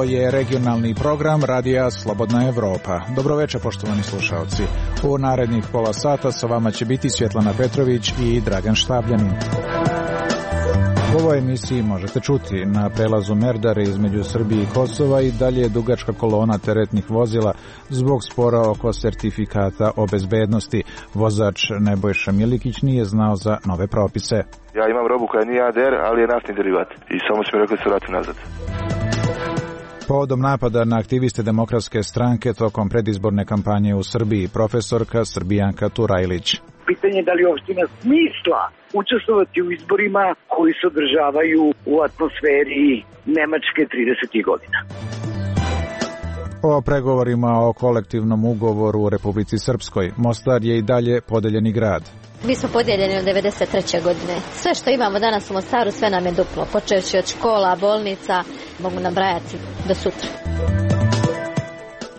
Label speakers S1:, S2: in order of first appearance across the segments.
S1: Ovo je regionalni program Radija Slobodna Evropa. Dobroveče, poštovani slušalci. U narednih pola sata sa vama će biti Svjetlana Petrović i Dragan Štabljanin. U ovoj emisiji možete čuti: na prelazu Merdare između Srbije i Kosova i dalje je dugačka kolona teretnih vozila zbog spora oko sertifikata o bezbednosti. Vozač Nebojša Milikić nije znao za nove propise.
S2: Ja imam robu koja nije ADR, ali je naftni derivat i samo su mi rekli da se vrati nazad.
S1: Povodom napada na aktiviste Demokratske stranke tokom predizborne kampanje u Srbiji, profesorka Srbijanka Turajlić.
S3: Pitanje je da li uopšte ima smisla učestvovati u izborima koji se održavaju u atmosferi Nemačke 30. godina.
S1: O pregovorima o kolektivnom ugovoru u Republici Srpskoj. Mostar je i dalje podeljeni grad.
S4: Mi smo podijeljeni od 1993. godine. Sve što imamo danas u Mostaru, sve nam je duplo. Počevši od škola, bolnica, mogu nabrajati do sutra.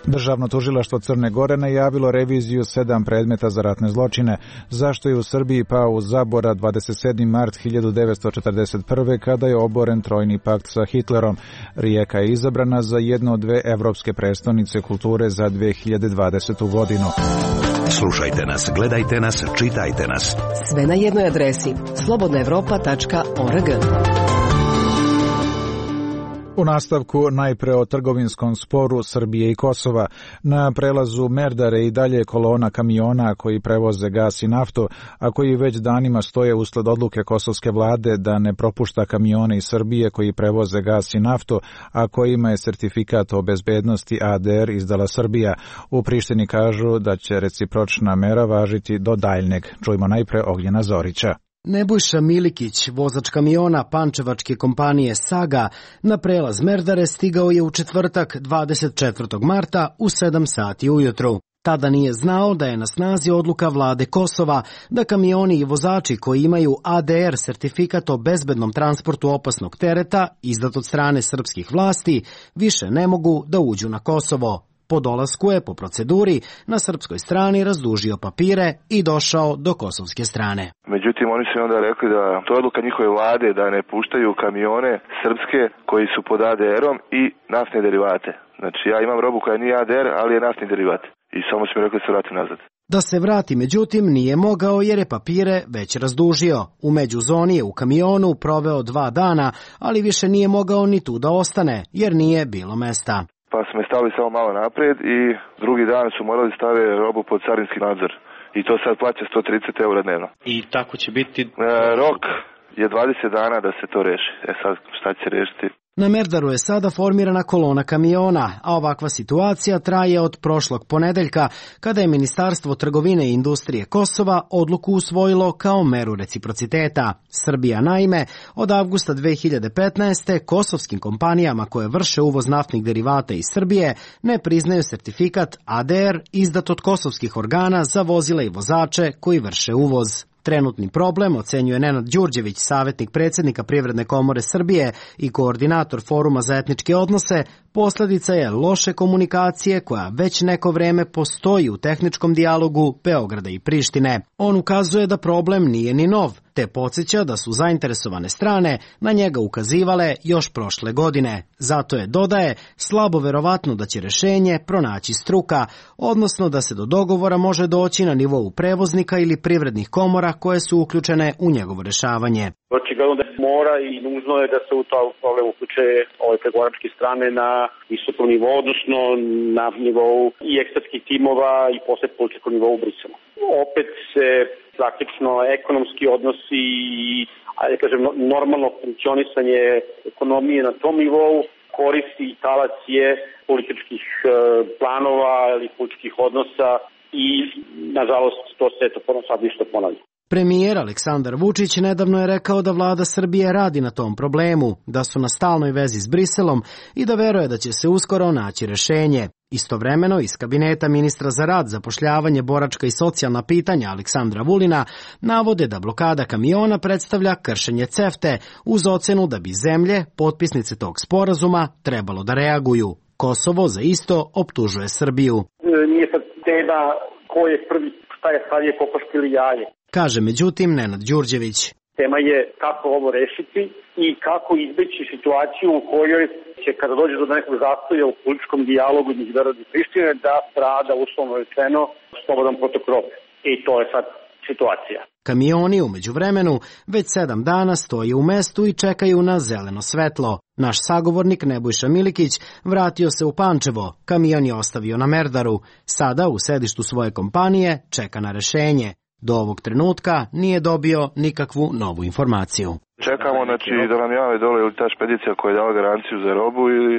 S1: Državno tužilaštvo Crne Gore najavilo reviziju 7 predmeta za ratne zločine. Zašto je u Srbiji pao u zaborav 27. mart 1941. kada je oboren Trojni pakt sa Hitlerom? Rijeka je izabrana za jednu od 2 evropske prestonice kulture za 2020. godinu.
S5: Slušajte nas, gledajte nas, čitajte nas.
S6: Sve na jednoj adresi: slobodnaevropa.org.
S1: U nastavku najpre o trgovinskom sporu Srbije i Kosova. Na prelazu Merdare i dalje kolona kamiona koji prevoze gas i naftu, a koji već danima stoje usled odluke kosovske vlade da ne propušta kamione iz Srbije koji prevoze gas i naftu, a kojima je sertifikat o bezbednosti ADR izdala Srbija. U Prištini kažu da će recipročna mera važiti do daljnjeg. Čujmo najpre Ognjena Zorića.
S7: Nebojša Milikić, vozač kamiona pančevačke kompanije Saga, na prelaz Merdare stigao je u četvrtak 24. marta u 7 sati ujutru. Tada nije znao da je na snazi odluka vlade Kosova da kamioni i vozači koji imaju ADR sertifikat o bezbednom transportu opasnog tereta, izdat od strane srpskih vlasti, više ne mogu da uđu na Kosovo. Po dolasku je, po proceduri, na srpskoj strani razdužio papire i došao do kosovske strane.
S2: Međutim, oni su onda rekli da to je odluka njihove vlade da ne puštaju kamione srpske koji su pod ADR-om i naftne derivate. Znači, ja imam robu koja nije ADR, ali je naftni derivat. I samo su mi rekli da se vrati nazad.
S7: Da se vrati, međutim, nije mogao jer je papire već razdužio. U međuzoni je u kamionu proveo 2 dana, ali više nije mogao ni tu da ostane, jer nije bilo mesta.
S2: Pa smo je stavili samo malo naprijed i drugi dan su morali staviti robu pod carinski nadzor. I to sad plaća 130 € dnevno.
S8: I tako će biti?
S2: Rok je 20 dana da se to reši. Sad šta će rešiti?
S7: Na Merdaru je sada formirana kolona kamiona, a ovakva situacija traje od prošlog ponedeljka, kada je Ministarstvo trgovine i industrije Kosova odluku usvojilo kao meru reciprociteta. Srbija, naime, od avgusta 2015. kosovskim kompanijama koje vrše uvoz naftnih derivata iz Srbije ne priznaju sertifikat ADR izdat od kosovskih organa za vozila i vozače koji vrše uvoz. Trenutni problem, ocenjuje Nenad Đurđević, savjetnik predsjednika Privredne komore Srbije i koordinator Foruma za etničke odnose, posljedica je loše komunikacije koja već neko vreme postoji u tehničkom dijalogu Beograda i Prištine. On ukazuje da problem nije ni nov, te podsjeća da su zainteresovane strane na njega ukazivale još prošle godine. Zato je, dodaje, slabo verovatno da će rješenje pronaći struka, odnosno da se do dogovora može doći na nivou prevoznika ili privrednih komora koje su uključene u njegovo rješavanje.
S9: Očigledno da mora i nužno je da se u to problem uključe ove pregovaračke strane na visokom nivou, odnosno na nivou i ekspertskih timova i posle političkog nivou u Briselu. Opet se praktično ekonomski odnosi i, normalno funkcionisanje ekonomije na tom nivou koristi i talac je političkih planova ili političkih odnosa i, nažalost, to se sad ništa ponavlja.
S7: Premijer Aleksandar Vučić nedavno je rekao da vlada Srbije radi na tom problemu, da su na stalnoj vezi s Briselom i da veruje da će se uskoro naći rješenje. Istovremeno, iz kabineta ministra za rad, zapošljavanje, boračka i socijalna pitanja Aleksandra Vulina navode da blokada kamiona predstavlja kršenje CEFTA uz ocenu da bi zemlje, potpisnice tog sporazuma, trebalo da reaguju. Kosovo za isto optužuje Srbiju.
S9: Nije sad tema ko je prvi, šta je sad je kokoška ili jaje.
S7: Kaže međutim Nenad Đurđević.
S9: Tema je kako ovo rešiti i kako izbeći situaciju u kojoj će, kada dođe do nekog zastoja u političkom dijalogu između Beograda i Prištine, da strada, uslovno rečeno, slobodan protok robe. I to je sad situacija.
S7: Kamioni u međuvremenu već 7 dana stoje u mestu i čekaju na zeleno svetlo. Naš sagovornik Nebojša Milikić vratio se u Pančevo, kamion je ostavio na Merdaru. Sada u sedištu svoje kompanije čeka na rešenje. Do ovog trenutka nije dobio nikakvu novu informaciju.
S2: Čekamo da nam jave dole ili ta špedicija koja je dala garanciju za robu ili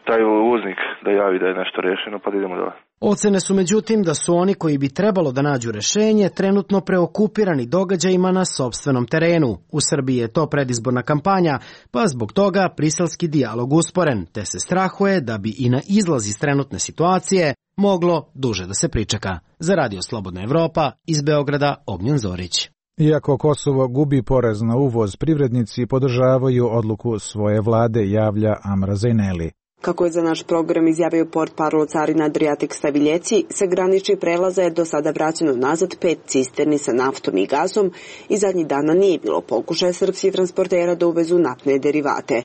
S2: taj uvoznik da javi da je nešto rešeno, pa da idemo dole.
S7: Ocene su međutim da su oni koji bi trebalo da nađu rešenje trenutno preokupirani događajima na sopstvenom terenu. U Srbiji je to predizborna kampanja, pa zbog toga briselski dijalog usporen, te se strahuje da bi i na izlaz iz trenutne situacije moglo duže da se pričeka. Za Radio Slobodna Evropa, iz Beograda, Ognjen Zorić.
S1: Iako Kosovo gubi porez na uvoz, privrednici podržavaju odluku svoje vlade, javlja Amra Zejneli.
S8: Kako je za naš program izjavio portparol carina Adriatik Staviljeci, sa graničnih prelaza je do sada vraćeno nazad 5 cisterni sa naftom i gazom i zadnjih dana nije bilo pokušaja srpskih transportera da uvezu naftne derivate.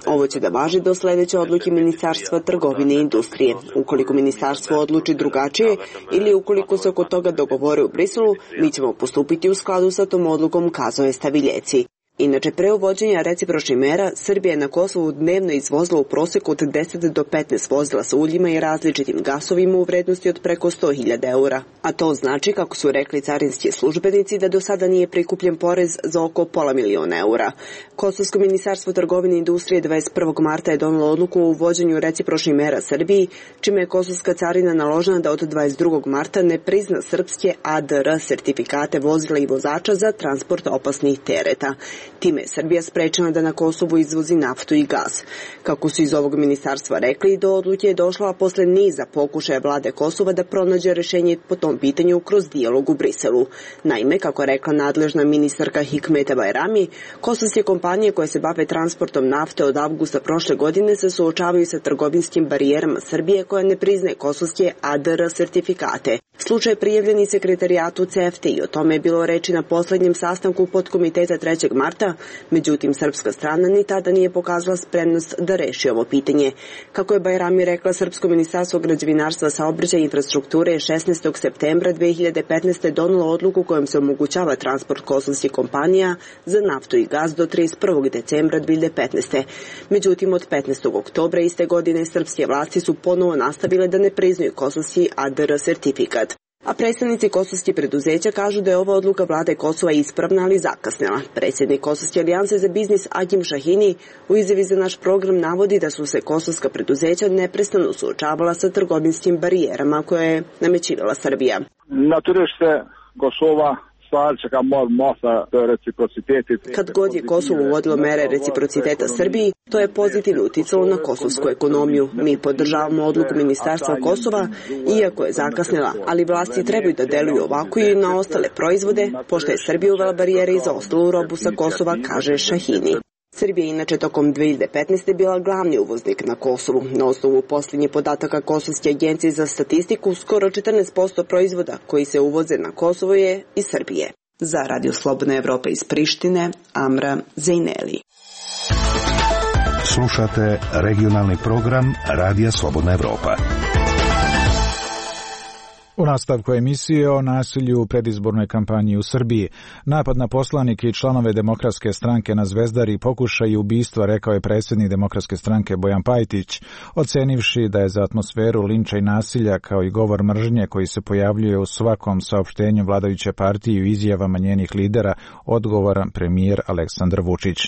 S8: Ovo će da važi do sledeće odluke Ministarstva trgovine i industrije. Ukoliko ministarstvo odluči drugačije ili ukoliko se oko toga dogovore u Briselu, mi ćemo postupiti u skladu sa tom odlukom, kazao je Staviljeci. Inače, pre uvođenja recipročnih mera, Srbija je na Kosovu dnevno izvozila u proseku od 10 do 15 vozila sa uljima i različitim gasovima u vrednosti od preko 100.000 eura. A to znači, kako su rekli carinski službenici, da do sada nije prikupljen porez za oko $500.000 eura. Kosovsko ministarstvo trgovine i industrije 21. marta je donelo odluku o uvođenju recipročnih mera Srbiji, čime je kosovska carina naložena da od 22. marta ne prizna srpske ADR sertifikate vozila i vozača za transport opasnih tereta. Time je Srbija sprečena da na Kosovu izvozi naftu i gaz. Kako su iz ovog ministarstva rekli, do odluke je došla posle niza pokušaja vlade Kosova da pronađe rešenje po tom pitanju kroz dijalog u Briselu. Naime, kako je rekla nadležna ministarka Hikmeta Bajrami, kosovske kompanije koje se bave transportom nafte od avgusta prošle godine se suočavaju sa trgovinskim barijerama Srbije koja ne priznaje kosovske ADR sertifikate. Slučaj prijavljen i sekretarijatu CEFTE i o tome je bilo reči na poslednjem sastanku podkomiteta 3. marta, međutim srpska strana ni tada nije pokazala spremnost da reši ovo pitanje. Kako je Bajrami rekla, Srpsko ministarstvo građevinarstva, saobraćaja i infrastrukture 16. septembra 2015. donelo odluku kojom se omogućava transport kosovskih kompanija za naftu i gaz do 31. decembra 2015. Međutim, od 15. oktobra iste godine srpske vlasti su ponovo nastavile da ne priznaju kosovski ADR sertifikat. A predstavnici kosovskih preduzeća kažu da je ova odluka vlade Kosova ispravna, ali zakasnila. Predsjednik Kosovske alijanse za biznis Agim Šahini u izjavi za naš program navodi da su se kosovska preduzeća neprestano suočavala sa trgovinskim barijerama koje je namećivala Srbija.
S10: Na tržište Kosova
S8: Kad god je Kosovo uvodilo mere reciprociteta Srbiji, to je pozitivno uticalo na kosovsku ekonomiju. Mi podržavamo odluku Ministarstva Kosova, iako je zakasnila, ali vlasti trebaju da deluju ovako i na ostale proizvode, pošto je Srbija uvela barijere i za ostalu robu sa Kosova, kaže Šahini. Srbija je inače tokom 2015. bila glavni uvoznik na Kosovu. Na osnovu posljednjih podataka Kosovske agencije za statistiku, skoro 14% proizvoda koji se uvoze na Kosovo je iz Srbije. Za Radio Slobodna Evropa iz Prištine, Amra Zejneli.
S5: Slušate regionalni program Radija Slobodna Evropa.
S1: U nastavku emisije o nasilju u predizbornoj kampanji u Srbiji. Napad na poslanike i članove Demokratske stranke na Zvezdari pokušaj ubistva, rekao je predsjednik Demokratske stranke Bojan Pajtić, ocenivši da je za atmosferu linča i nasilja kao i govor mržnje koji se pojavljuje u svakom saopštenju vladajuće partije i izjavama njenih lidera odgovoran premijer Aleksandar Vučić.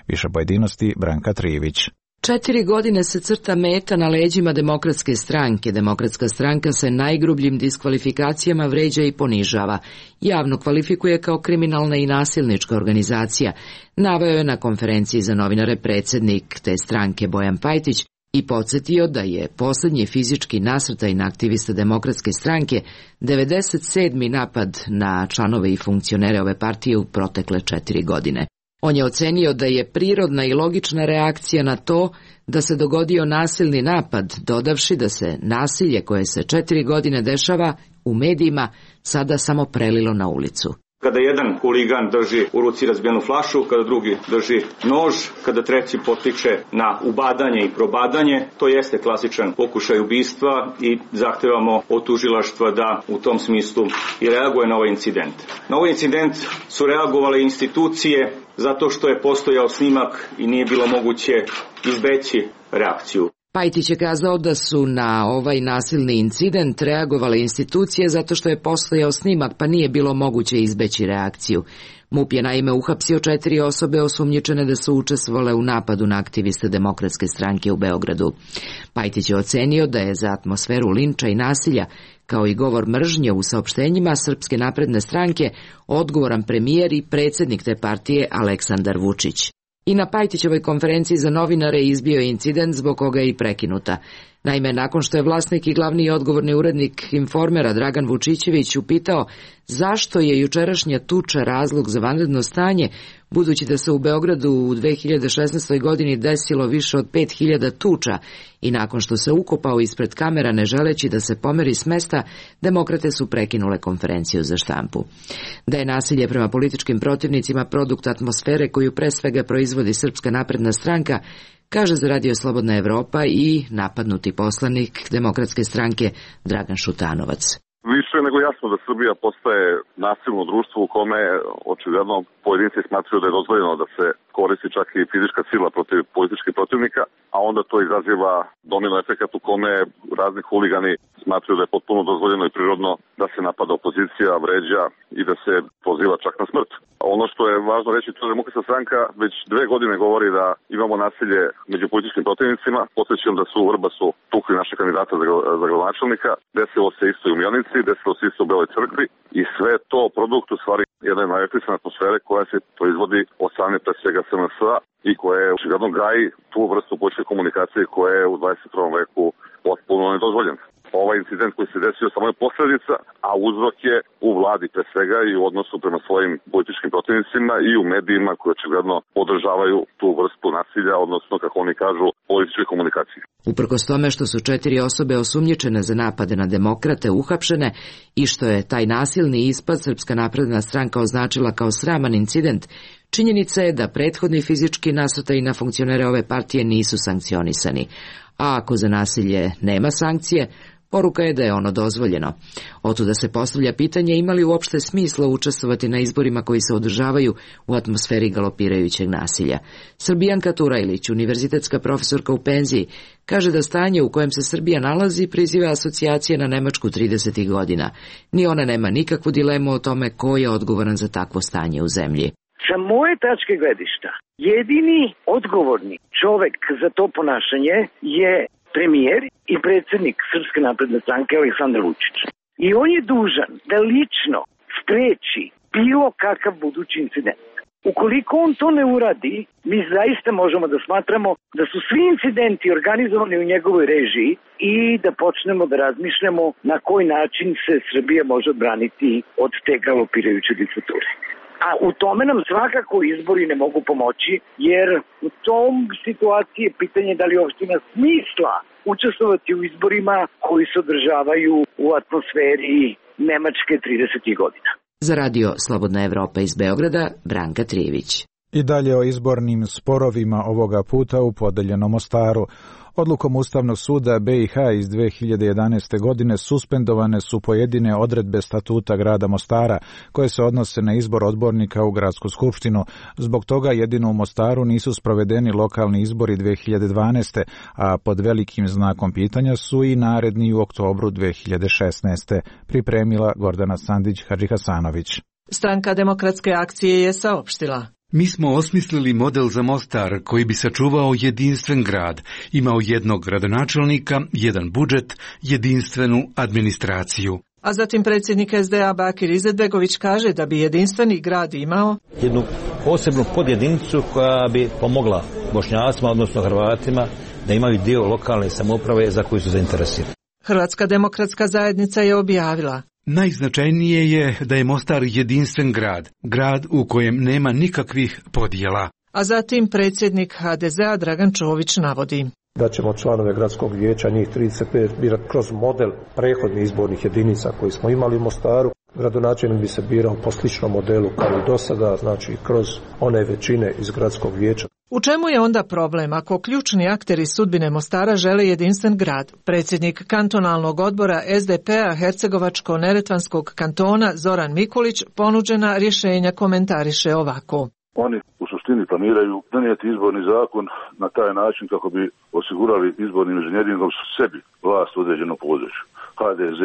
S1: Više pojedinosti Branka Trijević.
S11: 4 godine se crta meta na leđima Demokratske stranke. Demokratska stranka se najgrubljim diskvalifikacijama vređa i ponižava. Javno kvalifikuje kao kriminalna i nasilnička organizacija. Naveo je na konferenciji za novinare predsjednik te stranke Bojan Pajtić i podsjetio da je posljednji fizički nasrtaj na aktiviste Demokratske stranke 97. napad na članove i funkcionere ove partije u protekle 4 godine. On je ocenio da je prirodna i logična reakcija na to da se dogodio nasilni napad, dodavši da se nasilje koje se 4 godine dešava u medijima sada samo prelilo na ulicu.
S12: Kada jedan huligan drži u ruci razbijenu flašu, kada drugi drži nož, kada treći potiče na ubadanje i probadanje, to jeste klasičan pokušaj ubistva i zahtevamo od tužilaštva da u tom smislu i reaguje na ovaj incident. Na ovaj incident su reagovale institucije zato što je postojao snimak i nije bilo moguće izbeći reakciju.
S11: Pajtić je kazao da su na ovaj nasilni incident reagovale institucije zato što je postojao snimak pa nije bilo moguće izbeći reakciju. MUP je naime uhapsio 4 osobe osumnjičene da su učestvovale u napadu na aktiviste Demokratske stranke u Beogradu. Pajtić je ocenio da je za atmosferu linča i nasilja, kao i govor mržnje u saopštenjima Srpske napredne stranke, odgovoran premijer i predsjednik te partije Aleksandar Vučić. I na Pajtićevoj konferenciji za novinare izbio je incident zbog koga je i prekinuta. Naime, nakon što je vlasnik i glavni i odgovorni urednik Informera Dragan Vučićević upitao zašto je jučerašnja tuča razlog za vanredno stanje, budući da se u Beogradu u 2016. godini desilo više od 5000 tuča i nakon što se ukopao ispred kamera ne želeći da se pomeri s mesta, demokrate su prekinule konferenciju za štampu. Da je nasilje prema političkim protivnicima produkt atmosfere koju pre svega proizvodi Srpska napredna stranka, kaže za Radio Slobodna Evropa i napadnuti poslanik Demokratske stranke Dragan Šutanovac.
S10: Više nego jasno da Srbija postaje nasilno društvo u kome očigledno pojedinci smatraju da je dozvoljeno da se koristi čak i fizička sila protiv političkih protivnika, a onda to izaziva domino efekat u kome razni huligani smatraju da je potpuno dozvoljeno i prirodno da se napada opozicija, vređa i da se poziva čak na smrt. Ono što je važno reći, to je Demokratska stranka već 2 godine govori da imamo nasilje među političkim protivnicima. Podsjećam da su u Vrbasu tukli naše kandidata za gradonačelnika, desilo se isto i u Mionici, desilo se isto u Beloj crkvi i sve to produkt u stvari jedne najetlisane atmosfere koja se proizvodi od strane pre svega SNS-a i koja je očigledno gaji tu vrstu političke komunikacije koja je u 21. veku potpuno nedozvoljena. Ovaj incident koji se desio samo je posljedica, a uzrok je u vladi pre svega i u odnosu prema svojim političkim protivnicima i u medijima koji očigledno podržavaju tu vrstu nasilja, odnosno, kako oni kažu, političke komunikacije.
S11: Uprkos tome što su 4 osobe osumnjičene za napade na demokrate uhapšene i što je taj nasilni ispad Srpska napredna stranka označila kao sraman incident, činjenica je da prethodni fizički nasrtaji na funkcionere ove partije nisu sankcionisani. A ako za nasilje nema sankcije, poruka je da je ono dozvoljeno. Otuda se postavlja pitanje ima li uopšte smisla učestvovati na izborima koji se održavaju u atmosferi galopirajućeg nasilja. Srbijanka Turajlić, univerzitetska profesorka u penziji, kaže da stanje u kojem se Srbija nalazi priziva asocijacije na Nemačku 30. godina. Ni ona nema nikakvu dilemu o tome ko je odgovoran za takvo stanje u zemlji.
S3: Sa moje tačke gledišta, jedini odgovorni čovek za to ponašanje je premijer i predsjednik Srpske napredne stranke Aleksandar Vučić. I on je dužan da lično spreči bilo kakav budući incident. Ukoliko on to ne uradi, mi zaista možemo da smatramo da su svi incidenti organizovani u njegovoj režiji i da počnemo da razmišljamo na koji način se Srbija može odbraniti od te galopirajuće diktature. A u tome nam svakako izbori ne mogu pomoći, jer u tom situaciji je pitanje da li uopšte ima smisla učestvovati u izborima koji se održavaju u atmosferi Nemačke 30. godina.
S11: Za Radio Slobodna Evropa iz Beograda, Branka Trijević.
S1: I dalje o izbornim sporovima ovoga puta u podeljenom Mostaru. Odlukom Ustavnog suda BiH iz 2011. godine suspendovane su pojedine odredbe statuta grada Mostara koje se odnose na izbor odbornika u gradsku skupštinu. Zbog toga jedino u Mostaru nisu sprovedeni lokalni izbori 2012. a pod velikim znakom pitanja su i naredni u oktobru 2016. Pripremila Gordana Sandić-Hadžihasanović.
S13: Stranka Demokratske akcije je saopštila:
S14: Mi smo osmislili model za Mostar koji bi sačuvao jedinstven grad, imao jednog gradonačelnika, jedan budžet, jedinstvenu administraciju.
S13: A zatim predsjednik SDA Bakir Izetbegović kaže da bi jedinstveni grad imao
S15: jednu posebnu podjedinicu koja bi pomogla Bošnjacima, odnosno Hrvatima, da imaju dio lokalne samouprave za koju su zainteresirani.
S13: Hrvatska demokratska zajednica je objavila:
S14: Najznačajnije je da je Mostar jedinstven grad u kojem nema nikakvih podjela.
S13: A zatim predsjednik HDZ-a Dragan Čović navodi
S16: da ćemo članove gradskog vijeća, njih 35, birati kroz model prethodnih izbornih jedinica koji smo imali u Mostaru, Gradonačelnik bi se birao po sličnom modelu kao i do sada, znači kroz one većine iz gradskog vijeća.
S13: U čemu je onda problem ako ključni akteri sudbine Mostara žele jedinstven grad? Predsjednik kantonalnog odbora SDP-a Hercegovačko-Neretvanskog kantona Zoran Mikulić ponuđena rješenja komentariše ovako.
S17: Oni u suštini planiraju donijeti izborni zakon na taj način kako bi osigurali izbornim inženjeringom sebi vlast u određenom području. HDZ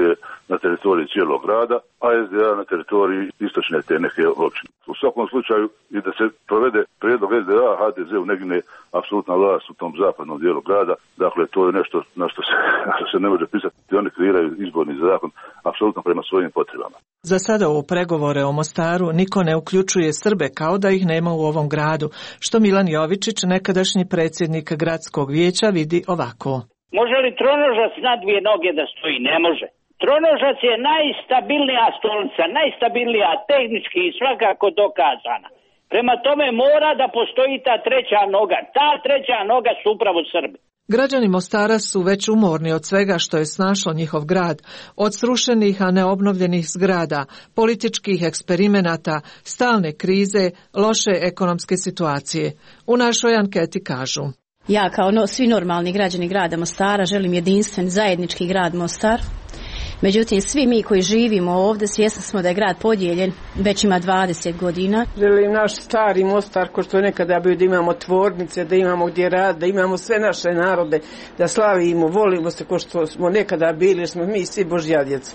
S17: na teritoriji cijelog grada, a SDA na teritoriji istočne te neke općine. U svakom slučaju i da se provede prijedlog SDA, HDZ-u negne apsolutna vlast u tom zapadnom dijelu grada. Dakle, to je nešto na što se ne može pisati. Oni kreiraju izborni zakon apsolutno prema svojim potrebama.
S13: Za sada u pregovore o Mostaru niko ne uključuje Srbe kao da ih nema u ovom gradu, što Milan Jovičić, nekadašnji predsjednik gradskog vijeća, vidi ovako.
S18: Može li tronožac na dvije noge da stoji? Ne može. Tronožac je najstabilnija stolica, najstabilnija tehnički i svakako dokazana. Prema tome mora da postoji ta treća noga. Ta treća noga su upravo Srbi.
S13: Građani Mostara su već umorni od svega što je snašlo njihov grad, od srušenih a neobnovljenih zgrada, političkih eksperimenata, stalne krize, loše ekonomske situacije. U našoj anketi kažu:
S19: ja kao svi normalni građani grada Mostara želim jedinstven zajednički grad Mostar. Međutim, svi mi koji živimo ovdje svjesni smo da je grad podijeljen, već ima 20 godina.
S20: Želim naš stari Mostar, ko što je nekada bio, da imamo tvornice, da imamo gdje rad, da imamo sve naše narode, da slavimo, volimo se ko što smo nekada bili, smo mi svi Božja djeca.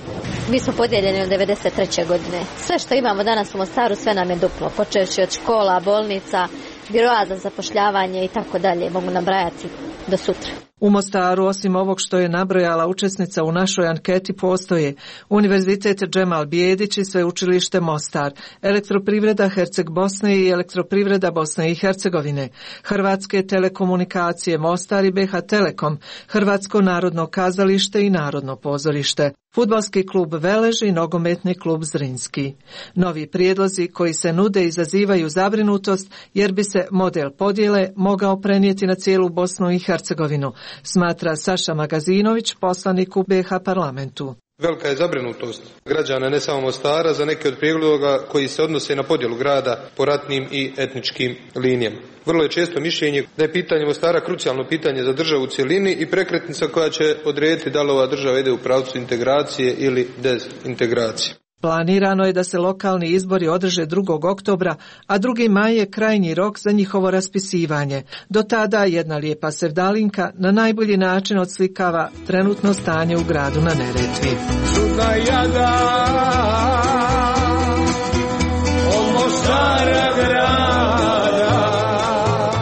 S4: Mi smo podijeljeni od 93. godine. Sve što imamo danas u Mostaru, sve nam je duplo, počevši od škola, bolnica, biroa za zapošljavanje i tako dalje, mogu nabrajati do sutra.
S13: U Mostaru, osim ovog što je nabrojala učesnica u našoj anketi, postoje Univerzitet Džemal Bijedić i Sveučilište Mostar, Elektroprivreda Herceg Bosne i Elektroprivreda Bosne i Hercegovine, Hrvatske telekomunikacije Mostar i BH Telekom, Hrvatsko narodno kazalište i Narodno pozorište, Fudbalski klub Velež i Nogometni klub Zrinski. Novi prijedlozi koji se nude izazivaju zabrinutost jer bi se model podjele mogao prenijeti na cijelu Bosnu i Hercegovinu, smatra Saša Magazinović, poslanik u BH parlamentu.
S21: Velika je zabrinutost građana ne samo Mostara za neke od prijedloga koji se odnose na podjelu grada po ratnim i etničkim linijama. Vrlo je često mišljenje da je pitanje Mostara krucijalno pitanje za državu u cjelini i prekretnica koja će odrediti da li ova država ide u pravcu integracije ili dezintegracije.
S13: Planirano je da se lokalni izbori održe 2. oktobra, a 2. maj je krajnji rok za njihovo raspisivanje. Do tada jedna lijepa sevdalinka na najbolji način odslikava trenutno stanje u gradu na Neretvi.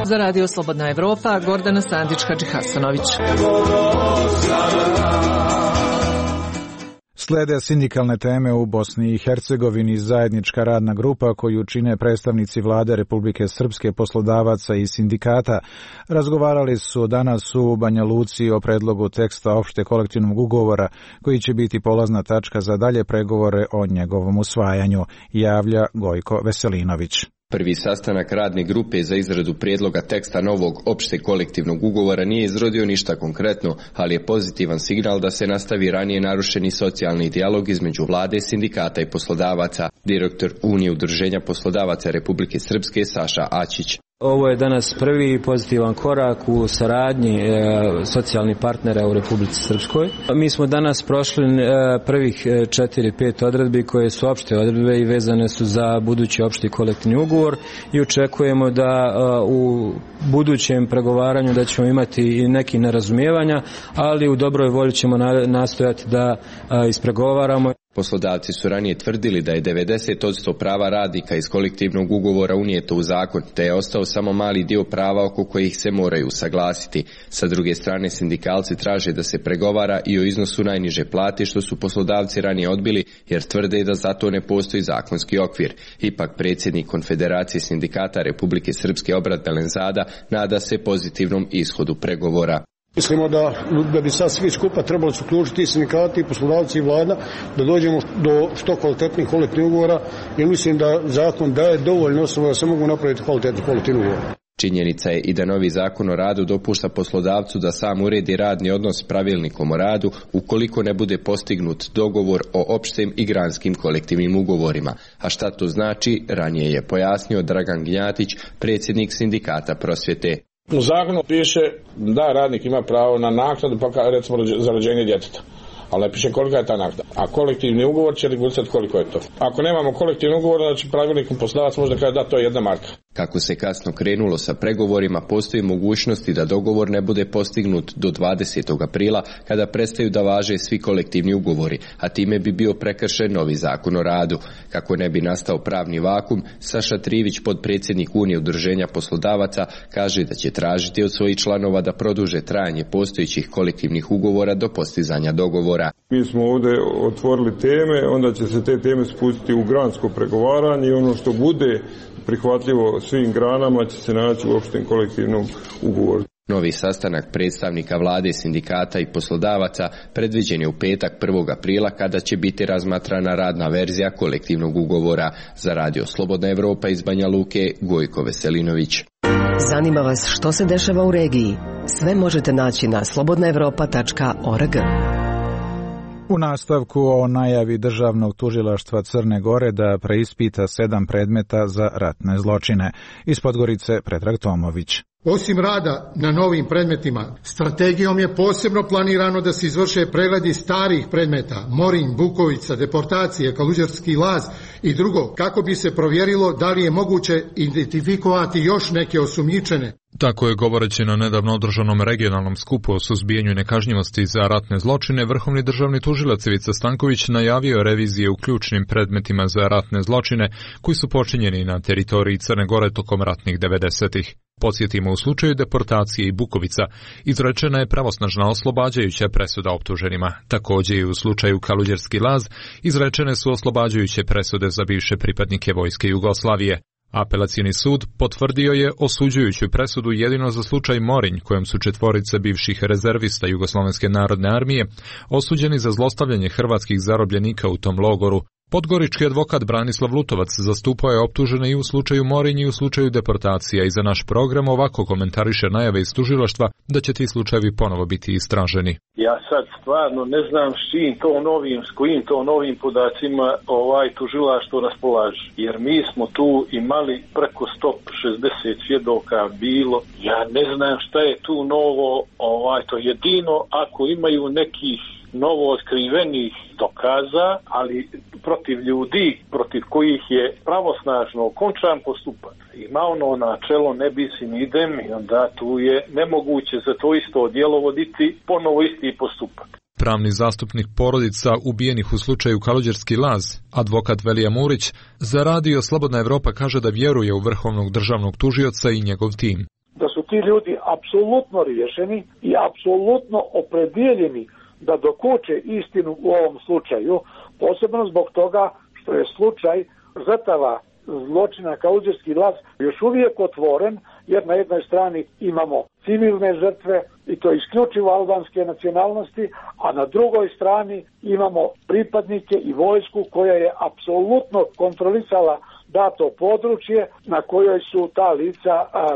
S13: Za Radio Slobodna Evropa, Gordana Sandić-Hadžihasanović.
S1: Slede sindikalne teme u Bosni i Hercegovini. Zajednička radna grupa koju čine predstavnici vlade Republike Srpske, poslodavaca i sindikata razgovarali su danas u Banja Luci o predlogu teksta opšte kolektivnog ugovora koji će biti polazna tačka za dalje pregovore o njegovom usvajanju, javlja Gojko Veselinović.
S22: Prvi sastanak radne grupe za izradu prijedloga teksta novog opšteg kolektivnog ugovora nije izrodio ništa konkretno, ali je pozitivan signal da se nastavi ranije narušeni socijalni dijalog između vlade, sindikata i poslodavaca, direktor Unije udruženja poslodavaca Republike Srpske Saša Ačić.
S23: Ovo je danas prvi pozitivan korak u saradnji socijalnih partnera u Republici Srpskoj. Mi smo danas prošli prvih 4-5 odredbi koje su opšte odredbe i vezane su za budući opšti kolektivni ugovor i očekujemo da u budućem pregovaranju da ćemo imati i neki nerazumijevanja, ali u dobroj volji ćemo nastojati da ispregovaramo.
S22: Poslodavci su ranije tvrdili da je 90% prava radnika iz kolektivnog ugovora unijeto u zakon, te je ostao samo mali dio prava oko kojih se moraju usaglasiti. Sa druge strane, sindikalci traže da se pregovara i o iznosu najniže plate, što su poslodavci ranije odbili jer tvrde da za to ne postoji zakonski okvir. Ipak predsjednik Konfederacije sindikata Republike Srpske Obrat Belenzada nada se pozitivnom ishodu pregovora.
S24: Mislimo da bi sad svi skupa trebalo se uključiti i sindikati, i poslodavci i vlada, da dođemo do što kvalitetnih kolektivnih ugovora, jer mislim da zakon daje dovoljno osnova da se mogu napraviti kvalitetni kolektivni ugovor.
S22: Činjenica je i da novi zakon o radu dopušta poslodavcu da sam uredi radni odnos pravilnikom o radu ukoliko ne bude postignut dogovor o opštim i granskim kolektivnim ugovorima. A šta to znači, ranije je pojasnio Dragan Gnjatić, predsjednik sindikata prosvjete.
S2: U zakonu piše da radnik ima pravo na naknadu, pa recimo za rođenje djeteta. Ali ne piše kolika je ta naknada. A kolektivni ugovor će regulirati koliko je to. Ako nemamo kolektivni ugovor, znači pravilnikom poslodavac može da kaže da to je 1 marka.
S22: Kako se kasno krenulo sa pregovorima, postoji mogućnosti da dogovor ne bude postignut do 20. aprila, kada prestaju da važe svi kolektivni ugovori, a time bi bio prekršen novi zakon o radu. Kako ne bi nastao pravni vakum, Saša Trivić, podpredsjednik Unije udruženja poslodavaca, kaže da će tražiti od svojih članova da produže trajanje postojećih kolektivnih ugovora do postizanja dogovora.
S6: Mi smo ovdje otvorili teme, onda će se te teme spustiti u gransko pregovaranje i ono što bude prihvatljivo svim granama će se naći u opštem kolektivnom ugovoru.
S22: Novi sastanak predstavnika vlade, sindikata i poslodavaca predviđen je u petak 1. aprila, kada će biti razmatrana radna verzija kolektivnog ugovora. Za Radio Slobodna Evropa iz Banja Luke, Gojko Veselinović.
S7: Zanima vas što se dešava u regiji? Sve možete naći na slobodnaevropa.org.
S1: U nastavku o najavi Državnog tužilaštva Crne Gore da preispita 7 predmeta za ratne zločine. Iz Podgorice Predrag Tomović.
S9: Osim rada na novim predmetima, strategijom je posebno planirano da se izvrše pregledi starih predmeta, Morinj, Bukovica, deportacije, Kaluđerski laz i drugo, kako bi se provjerilo da li je moguće identifikovati još neke osumnjičene.
S25: Tako je, govoreći na nedavno održanom regionalnom skupu o suzbijanju nekažnjivosti za ratne zločine, vrhovni državni tužilac Ivica Stanković najavio revizije u ključnim predmetima za ratne zločine koji su počinjeni na teritoriji Crne Gore tokom ratnih 90-ih. Podsjetimo, u slučaju deportacije i Bukovica izrečena je pravosnažna oslobađajuća presuda optuženima. Također i u slučaju Kaluđerski laz izrečene su oslobađajuće presude za bivše pripadnike vojske Jugoslavije. Apelacioni sud potvrdio je osuđujuću presudu jedino za slučaj Morinj, kojem su 4 bivših rezervista Jugoslovenske narodne armije osuđeni za zlostavljanje hrvatskih zarobljenika u tom logoru. Podgorički advokat Branislav Lutovac zastupao je optužene i u slučaju Morinj i u slučaju deportacija i za naš program ovako komentariše najave iz tužilaštva da će ti slučajevi ponovo biti istraženi.
S26: Ja sad stvarno ne znam s kojim to novim podacima tužilaštvo raspolaže. Jer mi smo tu imali preko 160 svjedoka bilo. Ja ne znam šta je tu novo, to jedino ako imaju nekih novo otkrivenih dokaza, ali protiv ljudi protiv kojih je pravosnažno okončan postupak. Ima ono načelo ne bis in idem i onda tu je nemoguće za to isto djelo voditi ponovo isti postupak.
S25: Pravni zastupnik porodica ubijenih u slučaju Kaluđerski laz, advokat Velija Murić, za Radio Slobodna Evropa kaže da vjeruje u vrhovnog državnog tužioca i njegov tim.
S27: Da su ti ljudi apsolutno riješeni i apsolutno opredjeljeni da dokuče istinu u ovom slučaju, posebno zbog toga što je slučaj žrtava zločina Kaluđerski laz još uvijek otvoren, jer na jednoj strani imamo civilne žrtve i to isključivo albanske nacionalnosti, a na drugoj strani imamo pripadnike i vojsku koja je apsolutno kontrolisala dato područje na kojoj su ta lica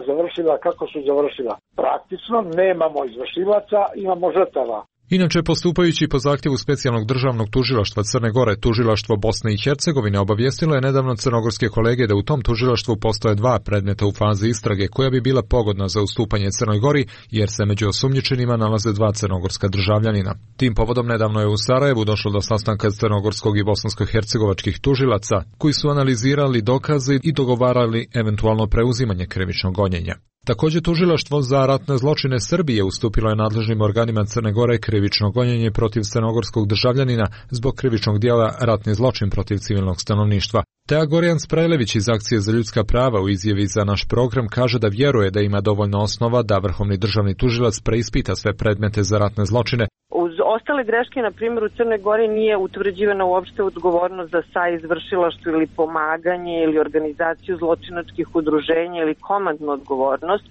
S27: završila kako su završila. Praktično nemamo izvršilaca, imamo žrtava.
S25: Inače, postupajući po zahtjevu specijalnog državnog tužilaštva Crne Gore, tužilaštvo Bosne i Hercegovine obavijestilo je nedavno crnogorske kolege da u tom tužilaštvu postoje 2 predmeta u fazi istrage koja bi bila pogodna za ustupanje Crnoj Gori, jer se među osumnjičenima nalaze 2 crnogorska državljanina. Tim povodom nedavno je u Sarajevu došlo do sastanka crnogorskog i bosansko-hercegovačkih tužilaca, koji su analizirali dokaze i dogovarali eventualno preuzimanje krivičnog gonjenja. Također, tužilaštvo za ratne zločine Srbije ustupilo je nadležnim organima Crne Gore krivično gonjenje protiv crnogorskog državljanina zbog krivičnog djela ratni zločin protiv civilnog stanovništva. Teja Gorjan Sprajlević iz Akcije za ljudska prava u izjavi za naš program kaže da vjeruje da ima dovoljno osnova da vrhovni državni tužilac preispita sve predmete za ratne zločine.
S28: Uz ostale greške, na primjer, u Crnoj Gori nije utvrđivana uopšte odgovornost za saizvršilaštvo ili pomaganje ili organizaciju zločinačkih udruženja ili komandnu odgovornost,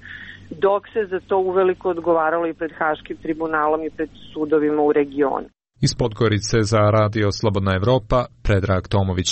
S28: dok se za to uveliko odgovaralo i pred Haškim tribunalom i pred sudovima u regionu.
S25: Iz Podgorice za Radio Slobodna Evropa, Predrag Tomović.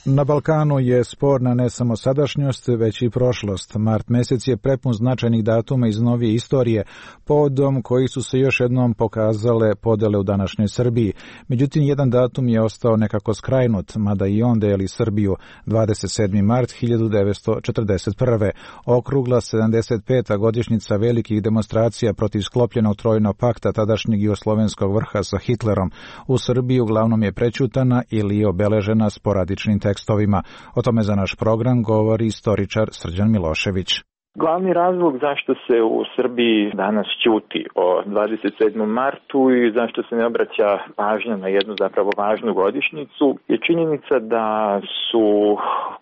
S1: Na Balkanu je sporna ne samo sadašnjost, već i prošlost. Mart mjesec je prepun značajnih datuma iz novije istorije, povodom koji su se još jednom pokazale podele u današnjoj Srbiji. Međutim, jedan datum je ostao nekako skrajnut, mada i on deli Srbiju, 27. mart 1941. Okrugla 75. godišnjica velikih demonstracija protiv sklopljenog trojnog pakta tadašnjeg jugoslovenskog vrha sa Hitlerom u Srbiji uglavnom je prećutana ili je obeležena sporadičnim tekstovima. O tome za naš program govori istoričar Srđan Milošević.
S3: Glavni razlog zašto se u Srbiji danas ćuti o 27. martu i zašto se ne obraća pažnja na jednu zapravo važnu godišnjicu je činjenica da su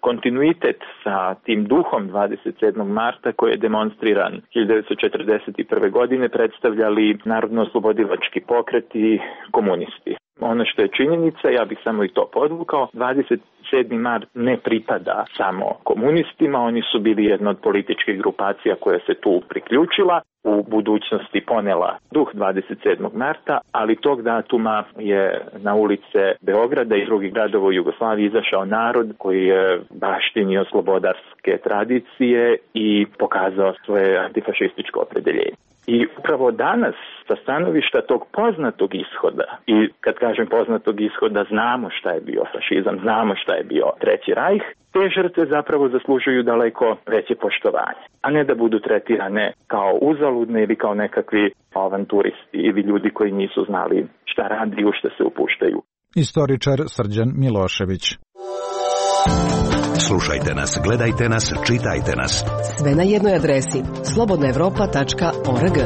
S3: kontinuitet sa tim duhom 27. marta koji je demonstriran 1941. godine predstavljali narodno-oslobodilački pokret i komunisti. Ono što je činjenica, ja bih samo i to podvukao, 27. mart ne pripada samo komunistima, oni su bili jedna od političkih grupacija koja se tu priključila, u budućnosti ponela duh 27. marta, ali tog datuma je na ulice Beograda i drugih gradova u Jugoslaviji izašao narod koji je baštinio slobodarske tradicije i pokazao svoje antifašističko opredeljenje. I upravo danas, sa stanovišta tog poznatog ishoda, i kad kažem poznatog ishoda, znamo šta je bio fašizam, znamo šta je bio Treći rajh, te žrtve zapravo zaslužuju daleko veće poštovanje, a ne da budu tretirane kao uzaludne ili kao nekakvi avanturisti ili ljudi koji nisu znali šta radi i u šta se upuštaju.
S1: Istoričar Srđan Milošević.
S5: Slušajte nas, gledajte nas, čitajte nas.
S7: Sve na jednoj adresi slobodnaevropa.org.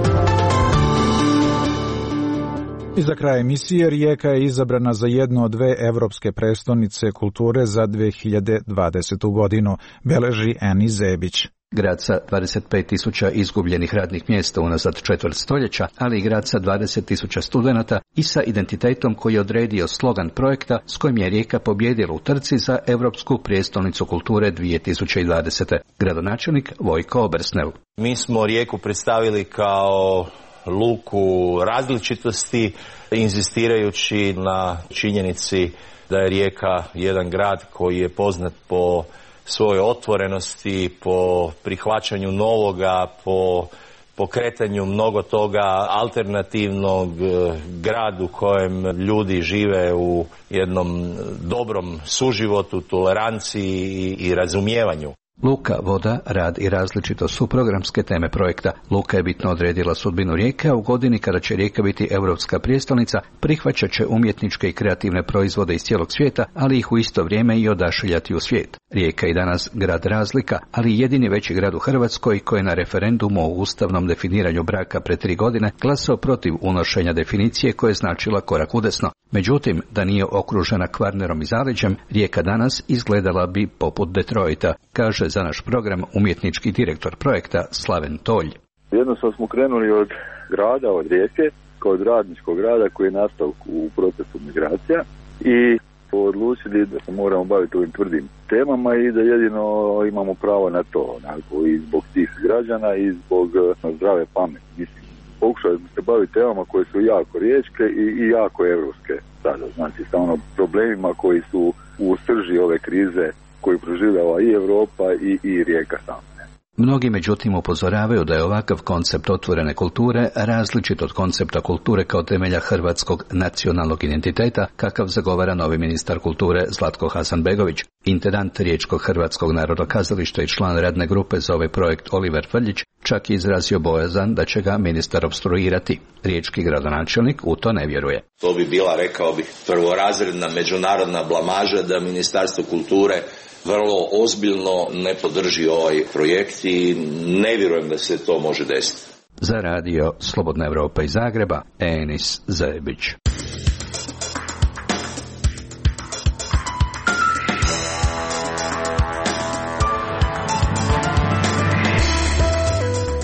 S1: I za kraj emisije, Rijeka je izabrana za jednu od dve evropske prestonice kulture za 2020. godinu, beleži Eni Zebić.
S8: Grad sa 25.000 izgubljenih radnih mjesta unazad četvrt stoljeća, ali i grad sa 20.000 studenata i sa identitetom koji je odredio slogan projekta s kojim je Rijeka pobjedila u trci za Europsku prijestolnicu kulture 2020. Gradonačelnik Vojko Obersnel.
S10: Mi smo Rijeku predstavili kao luku različitosti, inzistirajući na činjenici da je Rijeka jedan grad koji je poznat po svojoj otvorenosti, po prihvaćanju novoga, po pokretanju mnogo toga alternativnog, grad u kojem ljudi žive u jednom dobrom suživotu, toleranciji i razumijevanju.
S8: Luka, voda, rad i različitost su programske teme projekta. Luka je bitno odredila sudbinu Rijeke, a u godini kada će Rijeka biti europska prijestolnica, prihvaćat će umjetničke i kreativne proizvode iz cijelog svijeta, ali ih u isto vrijeme i odašiljati u svijet. Rijeka je danas grad razlika, ali jedini veći grad u Hrvatskoj koji je na referendumu o ustavnom definiranju braka pred 3 godine glasao protiv unošenja definicije koja je značila korak udesno. Međutim, da nije okružena Kvarnerom i zaleđem, Rijeka danas izgledala bi poput Detroita, kaže za naš program umjetnički direktor projekta Slaven Tolj.
S11: Jednostavno smo krenuli od grada, od Rijeke, kao od radničkog grada koji je nastao u procesu migracija i odlučili da se moramo baviti ovim tvrdim temama i da jedino imamo pravo na to, onako, i zbog tih građana i zbog zdrave pameti. Mislim, pokušali smo se baviti temama koje su jako riječke i jako evropske sada, znači sa problemima koji su u srži ove krize koju proživljava i Europa i Rijeka sama.
S8: Mnogi međutim upozoravaju da je ovakav koncept otvorene kulture različit od koncepta kulture kao temelja hrvatskog nacionalnog identiteta, kakav zagovara novi ministar kulture Zlatko Hasanbegović. Intendant Riječkog hrvatskog narodokazališta i član radne grupe za ovaj projekt Oliver Frljić čak je izrazio bojazan da će ga ministar opstruirati. Riječki gradonačelnik u to ne vjeruje.
S12: To bi bila, rekao bih, prvorazredna međunarodna blamaža da Ministarstvo kulture vrlo ozbiljno ne podrži ovaj projekt i ne vjerujem da se to može desiti.
S8: Za radio Slobodna Evropa iz Zagreba, Enis Zebić.